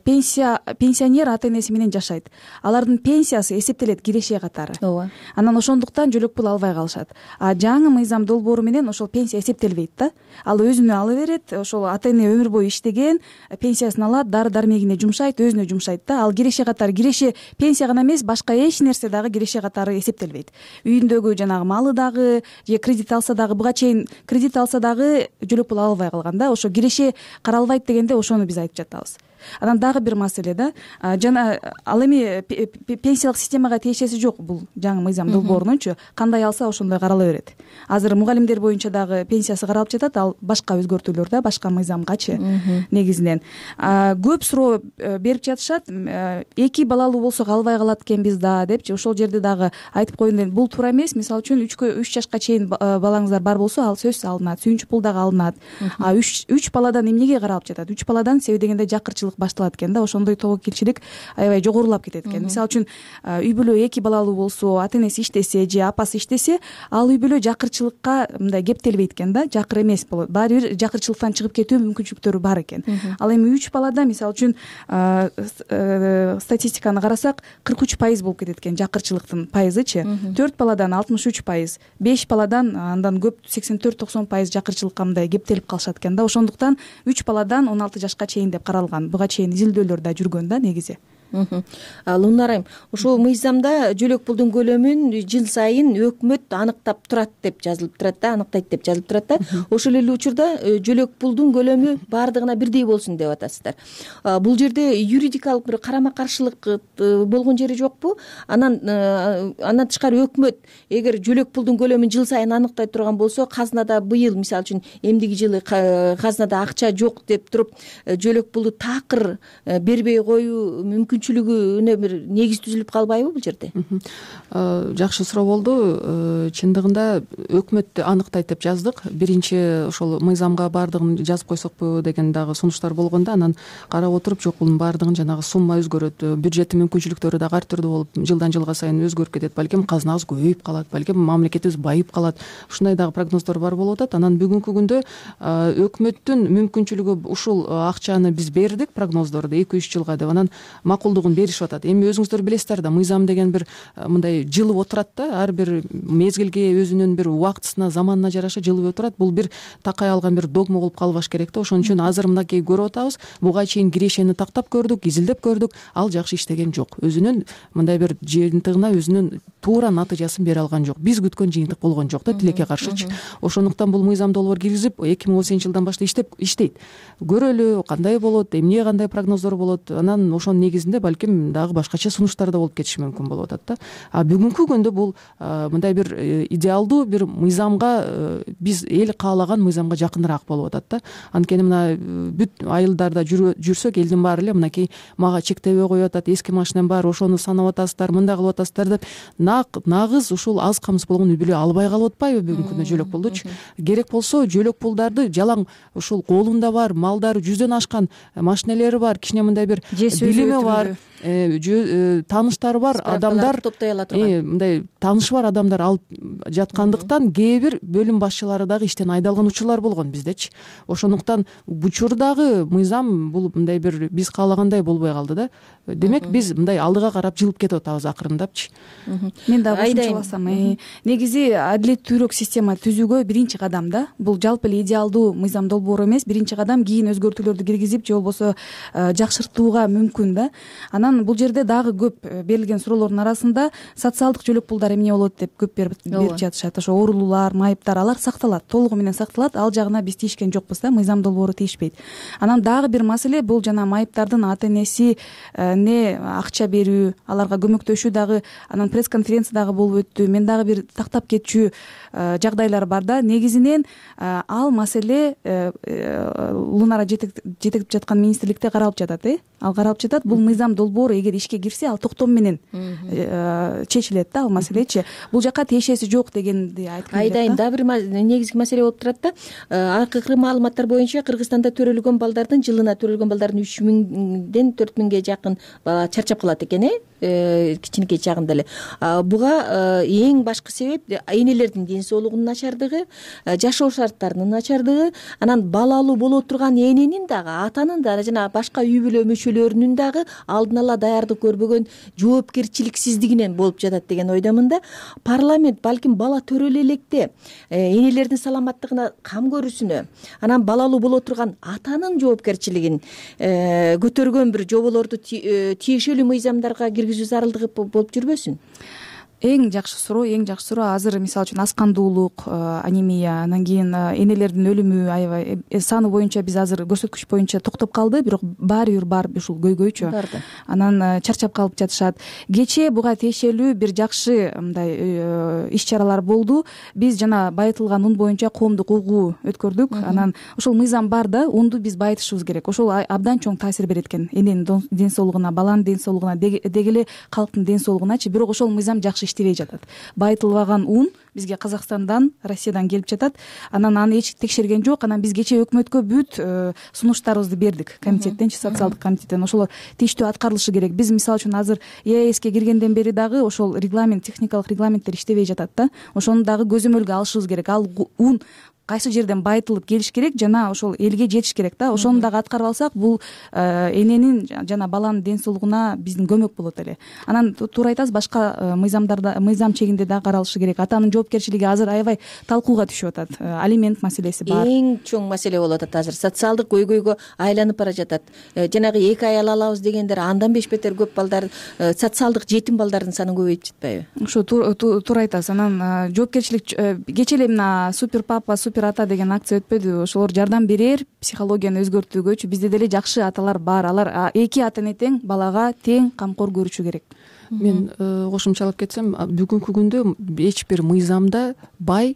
Пенсионер ата энеси менен жашайт. Алардын пенсиясы эсептелет киреше катары. Ооба. Анан ошондуктан жөлөк пул албай калышат. Жаңы мыйзам долбоору менен ошол пенсия эсептелбейт да. Ал өзүнө ала берет, ошол ата эне өмүр бою иштеген, пенсиясын алат, дары дармегине жумшайт, өзүнө жумшайт да. Ал киреше катары, киреше пенсия гана эмес, башка эч нерсе дагы киреше катары эсептелбейт. Үйүндөгү жанагы малы дагы, же кредит алса дагы, буга чейин кредит алса дагы жөлөк пул ала албай калган да. Ошо киреше каралбайт дегенде ошону биз айтып жатабыз. Анан дагы бир маселе да, жана ал эми пенсиялык системага тиешеси жок бул жаңы мыйзам долбоорунунчу, кандай алса ошондой карала берет. Азыр мугалимдер боюнча дагы пенсиясы каралып жатат, ал башка өзгөртүүлөр да, башка мыйзамгачы негизинен. Көп суроо берип жатышат, 2 балалуу болсок албай калат экенбиз да депчи. Ошол жерде дагы айтып коеюн, бул туура эмес. Мисалы үчүн 3 жашка чейин балаңыздар бар болсо, ал сөзсүз алынат, сүйүнчү пул дагы алынат. 3 баладан эмнеге каралып жатат? 3 баладан себеби дегенде жакырчылык башталат экен да, ошондой тобокелчилик аябай жогорулап кетет экен. Мисалы үчүн үй бүлө 2 балалуу болсо, ата энеси иштесе же апасы иштесе, ал үй бүлө жакырчылыкка мындай кептелбейт экен да, жакыр эмес болот. Баары бир жакырчылыктан чыгып кетүү мүмкүнчүлүктөрү бар экен. Ал эми 3 балада мисалы үчүн статистиканы карасак 43% болуп кетет экен жакырчылыктын пайызычы. 4 баладан 63%, 5 баладан андан көп 84-90% жакырчылыкка мындай кептелип калышат экен да. Ошондуктан 3 баладан 16 жашка чейин деп каралган. Буга чейин изилдөөлөр да жүргөн да негизи. Лунарайым, ошол мыйзамда жөлөк пулдун көлөмүн жыл сайын өкмөт аныктап турат деп жазылып турат да, аныктайт деп жазылып турат да. Ошол эле учурда жөлөк пулдун көлөмү баардыгына бирдей болсун деп атасыздар. Бул жерде юридикалык бир карама каршылык болгон жери жокпу? Андан тышкары өкмөт эгер жөлөк пулдун көлөмүн жыл сайын аныктай турган болсо, казнада быйыл мисалы үчүн эмдиги жылы казнада акча жок деп туруп жөлөк пулду такыр бербей коюу мүмкүнчүлүгүнө бир негиз түзүлүп калбайбы бул жерде? Жакшы суроо болду. Чындыгында өкмөт аныктайт деп жаздык. Биринчи ошол мыйзамга баардыгын жазып койсокпу деген дагы сунуштар болгондо, анан карап отуруп, жок, бунун баардыгын жанагы сумма өзгөрөт, бюджеттин мүмкүнчүлүктөрү дагы ар түрдүү болуп, жылдан жылга сайын өзгөрүп кетет. Балким казнабыз көбөйүп калат, балким мамлекетибиз байып калат. Ушундай дагы прогноздор бар болуп атат. Анан бүгүнкү күндө өкмөттүн мүмкүнчүлүгү ушул акчаны биз бердик, прогноздорду 2-3 жылга деп, анан макулдугун беришип атат. Эми өзүңүздөр билесиздер да, мыйзам деген бир мындай жылып отурат да, ар бир мезгилге өзүнүн бир убактысына, заманына жараша жылып отурат. Бул бир такай алган бир догма болуп калбаш керек да. Ошон үчүн азыр мынакей көрүп атабыз, буга чейин кирешени тактап көрдүк, изилдеп көрдүк, ал жакшы иштеген жок. Өзүнүн мындай бир жыйынтыгына өзүнүн туура натыйжасын бере алган жок. Биз күткөн жыйынтык болгон жок да, тилекке каршычы. Ошондуктан бул мыйзам долбоор киргизип 2018-жылдан баштап иштейт. Көрөлү кандай болот, эмне кандай прогноздор болот. Анан ошонун негизинде балким дагы башкача сунуштар да болуп кетиши мүмкүн болуп атат да. Бүгүнкү күндө бул мындай бир идеалдуу бир мыйзамга, биз эл каалаган мыйзамга жакыныраак болуп атат да. Анткени мына бүт айылдарда жүрсөк, элдин баары эле мынакей мага чектебей коюп атат, эски машинам бар, ошону санап атасыздар, мындай кылып атасыздар деп нагыз ушул аз камсыз болгон үй бүлө албай калып атпайбы бүгүнкү күндө жөлөк пулдучу? Керек болсо жөлөк пулдарды жалаң ушул колунда бар, малдары 100дөн ашкан машинелери бар, кичине мындай бир билими бар, тааныштары бар адамдар топтой ала турган мындай таанышы бар адамдар алып жаткандыктан кээ бир бөлүм башчылары дагы иштен айдалган учурлар болгон биздечи. Ошондуктан учурдагы мыйзам бул мындай бир биз каалагандай болбой калды да. Демек биз мындай алдыга карап жылып кетип атабыз акырындапчы. Мен дагы кошумчаласам, негизи адилеттүүрөөк система түзүүгө биринчи кадам да. Бул жалпы эле идеалдуу мыйзам долбоору эмес, биринчи кадам кийин өзгөртүүлөрдү киргизип же болбосо жакшыртууга мүмкүн да. Анан бул жерде дагы көп берилген суроолордун арасында социалдык жөлөк пулдар эмне болот деп көп берип жатышат. Ошо оорулуулар, майыптар алар сакталат, толугу менен сакталат. Ал жагына биз тийишкен жокпуз да, мыйзам долбоору тийишпейт. Анан дагы бир маселе бул жана майыптардын ата энеси не акча берүү, аларга көмөктөшүү дагы анан пресс-конференция дагы болуп өттү. Мен дагы бир тактап кетчү жагдайлар бар да. Негизинен ал маселе Лунара жетектеп жаткан министрликте каралып жатат, ал каралып жатат. Бул мыйзам долбоору эгер ишке кирсе, ал токтом менен чечилет да, ал маселечи. Бул жака тиешеси жок дегенди айткым келет. Айдайын дагы бир негизги маселе болуп турат да. Акыркы маалыматтар боюнча Кыргызстанда төрөлгөн балдардын жылына төрөлгөн балдардын 3000ден 4000ге жакын бала чарчап калат экен, кичинекей чагында эле. Буга эң башкы себеп энелердин ден соолугунун начардыгы, жашоо шарттарынын начардыгы, анан балалуу боло турган эненин дагы, атанын да жана башка үй бүлө мүчөлөрүнүн дагы алдын ала даярдык көрбөгөн жоопкерчиликсиздигинен болуп жатат деген ойдомун да. Парламент балким бала төрөлө электе энелердин саламаттыгына кам көрүүсүнө, анан балалуу боло турган атанын жоопкерчилигин көтөргөн бир жоболорду тиешелүү мыйзамдарга киргизүү зарылдыгы болуп жүрбөсүн? Эң жакшы суроо. Азыр мисалы үчүн аскандуулук, анемия, анан кийин энелердин өлүмү аябай саны боюнча биз азыр көрсөткүч боюнча токтоп калды, бирок баары бир бар ушул көйгөйчү. Анан чарчап калып жатышат. Кечээ буга тиешелүү бир жакшы мындай иш-чаралар болду. Биз жана байытылган un боюнча коомдук угуу өткөрдүк. Анан ошол мыйзам бар да, унду биз байытышыбыз керек. Ошол абдан чоң таасир берет экен эненин ден соолугуна, баланын ден соолугуна, деги эле калктын ден соолугуначы. Бирок ошол мыйзам жакшы иштебей жатат. Байытылбаган un бизге Казакстандан, Россиядан келип жатат. Анан аны эч текшерген жок. Анан биз кечээ өкмөткө бүт сунуштарыбызды бердик. Комитеттенчи, социалдык комитеттен. Ошолор тийиштүү аткарылышы керек. Биз мисалы үчүн азыр ЕАЭСке киргенден бери дагы ошол регламент, техникалык регламенттер иштебей жатат да. Ошону дагы көзөмөлгө алышыбыз керек. Ал un кайсы жерден байытылып келиш керек жана ошол элге жетиш керек да. Ошону дагы аткарып алсак, бул эненин жана баланын ден соолугуна биздин көмөк болот эле. Анан туура айтасыз, башка мыйзамдарда, мыйзам чегинде дагы каралышы керек. Атанын жоопкерчилиги азыр аябай талкууга түшүп атат. Алимент маселеси бар. Эң чоң маселе болуп атат азыр. Социалдык көйгөйгө айланып бара жатат. Жанагы 2 аял алабыз дегендер андан 5 бетер көп балдар, социалдык жетим балдардын саны көбөйүп жатпайбы? Ошо туура айтасыз. Анан жоопкерчилик кечээ эле мына супер папа, супер ата деген акция өтпөдү? Ошолор жардам берер психологияны өзгөртүүгөчү. Бизде деле жакшы аталар бар. Алар эки ата эне тең балага тең камкор көрүшү керек. Мен кошумчалап кетсем, бүгүнкү күндө эч бир мыйзамда бай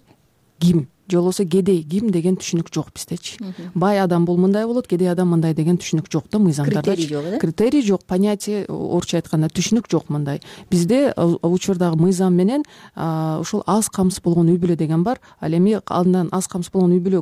ким же болбосо кедей ким деген түшүнүк жок биздечи. Бай адам бул мындай болот, кедей адам мындай деген түшүнүк жок да мыйзамдарда. Критерий жок, понятие, орусча айтканда түшүнүк жок мындай. Бизде учурдагы мыйзам менен ушул аз камсыз болгон үй бүлө деген бар. Ал эми андан аз камсыз болгон үй бүлө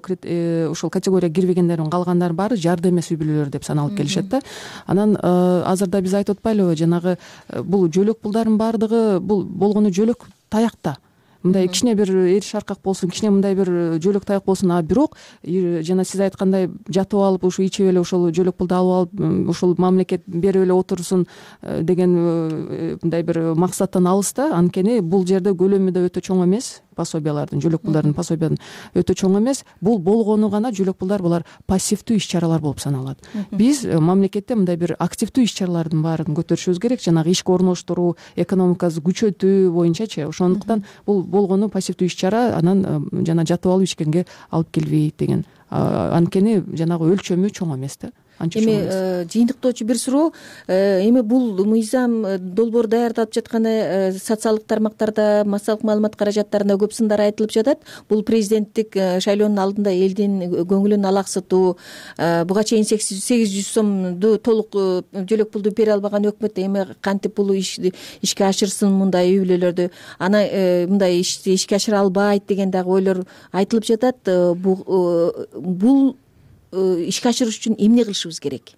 ушул категорияга кирбегендердин калгандар баары жарды эмес үй бүлөлөр деп саналып келишет да. Анан азырда биз айтып атпайлыбы, жанагы бул жөлөк пулдардын баардыгы бул болгону жөлөк таякта. Мындай кичине бир эриш аркак болсун, кичине мындай бир жөлөк таяк болсун, бирок жана сиз айткандай жатып алып ушу ичип эле ошол жөлөк пулду алып алып ушул мамлекет берип эле отурсун деген мындай бир максаттан алыс да. Анткени бул жерде көлөмү да өтө чоң эмес. Пособиялардын, жөлөк пулдардын пособиянын өтө чоң эмес. Бул болгону гана жөлөк пулдар, булар пассивдүү иш-чаралар болуп саналат. Биз мамлекетте мындай бир активдүү иш-чаралардын баарын көтөрүшүбүз керек. Жанагы ишке орноштуруу, экономикабызды күчөтүү боюнчачы. Ошондуктан бул болгону пассивдүү иш-чара, анан жана жатып алып ичкенге алып келбейт деген. Анткени жанагы өлчөмү чоң эмес да. Эми жыйынтыктоочу бир суроо, эми бул мыйзам долбоор даярдалып жатканы социалдык тармактарда, массалык маалымат каражаттарында көп сындар айтылып жатат. Бул президенттик шайлоонун алдында элдин көңүлүн алаксытуу, буга чейин 800 сомду толук жөлөк пулду бере албаган өкмөт эми кантип бул ишке ашырсын мындай үй бүлөлөрдү, аны мындай ишке ашыра албайт деген дагы ойлор айтылып жатат. Бул ишке ашырыш үчүн эмне кылышыбыз керек?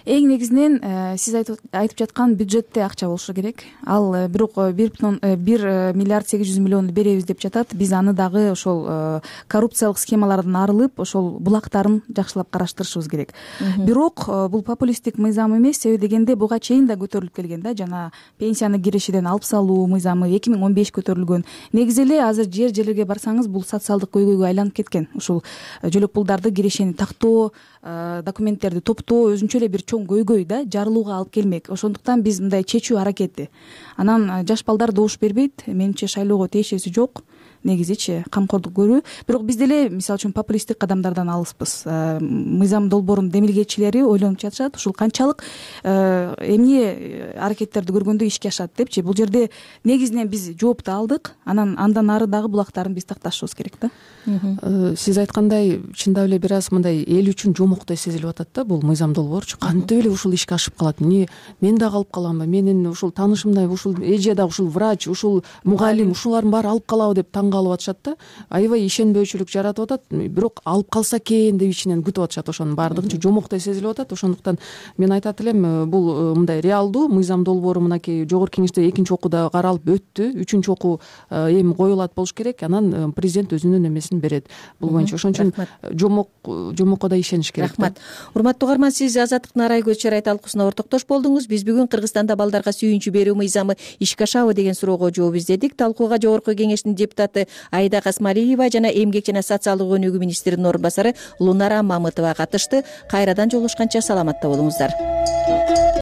эң негизинен сиз айтып жаткан бюджетте акча болушу керек. Ал бирок 1 миллиард 800 миллионду беребиз деп жатат. Биз аны дагы ошол коррупциялык схемалардан арылып, ошол булактарын жакшылап караштырышыбыз керек. Бирок бул популисттик мыйзам эмес, себеби дегенде буга чейин да көтөрүлүп келген да, жана пенсияны кирешиден алып салуу мыйзамы 2015 көтөрүлгөн. Негизи эле азыр жерлерге барсаңыз бул социалдык көйгөйгө айланып кеткен. Ушул жөлөк пулдарды кирешени тактоо, документтерди топтоо өзүнчө эле бир чоң көйгөй да, жарылууга алып келмек. Ошондуктан биз мындай чечүү аракети. Анан жаш балдар добуш бербейт, менимче шайлоого тиешеси жок. Негизичи камкордук көрүү. Бирок биз деле мисалы үчүн популисттик кадамдардан алыспыз. Мыйзам долбоорунун демилгечилери ойлонуп жатышат, ушул канчалык эмне аракеттерди көргөндө ишке ашат депчи. Бул жерде негизинен биз жоопту алдык, андан ары дагы булактарын биз такташыбыз керек да. Сиз айткандай, чындап эле бир аз мындай эл үчүн жомоктой сезилип атат да бул мыйзам долбоорчу. Кантип эле ушул ишке ашып калат? Эмне мен дагы алып каламбы? Менин ушул таанышымдай ушул эже дагы ушул врач, ушул мугалим, ушулардын баары алып калабы деп калып атышат да. Аябай ишенбөөчүлүк жаратып атат. Бирок алып калса экен деп ичинен күтүп атышат. Ошонун баардыгынчы жомоктой сезилип атат. Ошондуктан мен айтат элем, бул мындай реалдуу мыйзам долбоору мынакей жогорку кеңеште экинчи окууда каралып өттү. Үчүнчү окуу эми коюлат болуш керек. Анан президент өзүнүн эмесин берет. Бул боюнча ошон үчүн жомокко да ишениш керек. Рахмат. Урматтуу угарман, сиз Азаттыктын Арай көз чарай талкуусуна ортоктош болдуңуз. Биз бүгүн Кыргызстанда балдарга сүйүнчү берүү мыйзамы ишке ашабы деген суроого жооп издедик. Талкууга жогорку кеңештин депутаты Айда Касмалиева жана эмгек жана социалдык өнүгүү министринин орун басары Лунара Мамытова катышты. Кайрадан жолугушканча саламатта болуңуздар.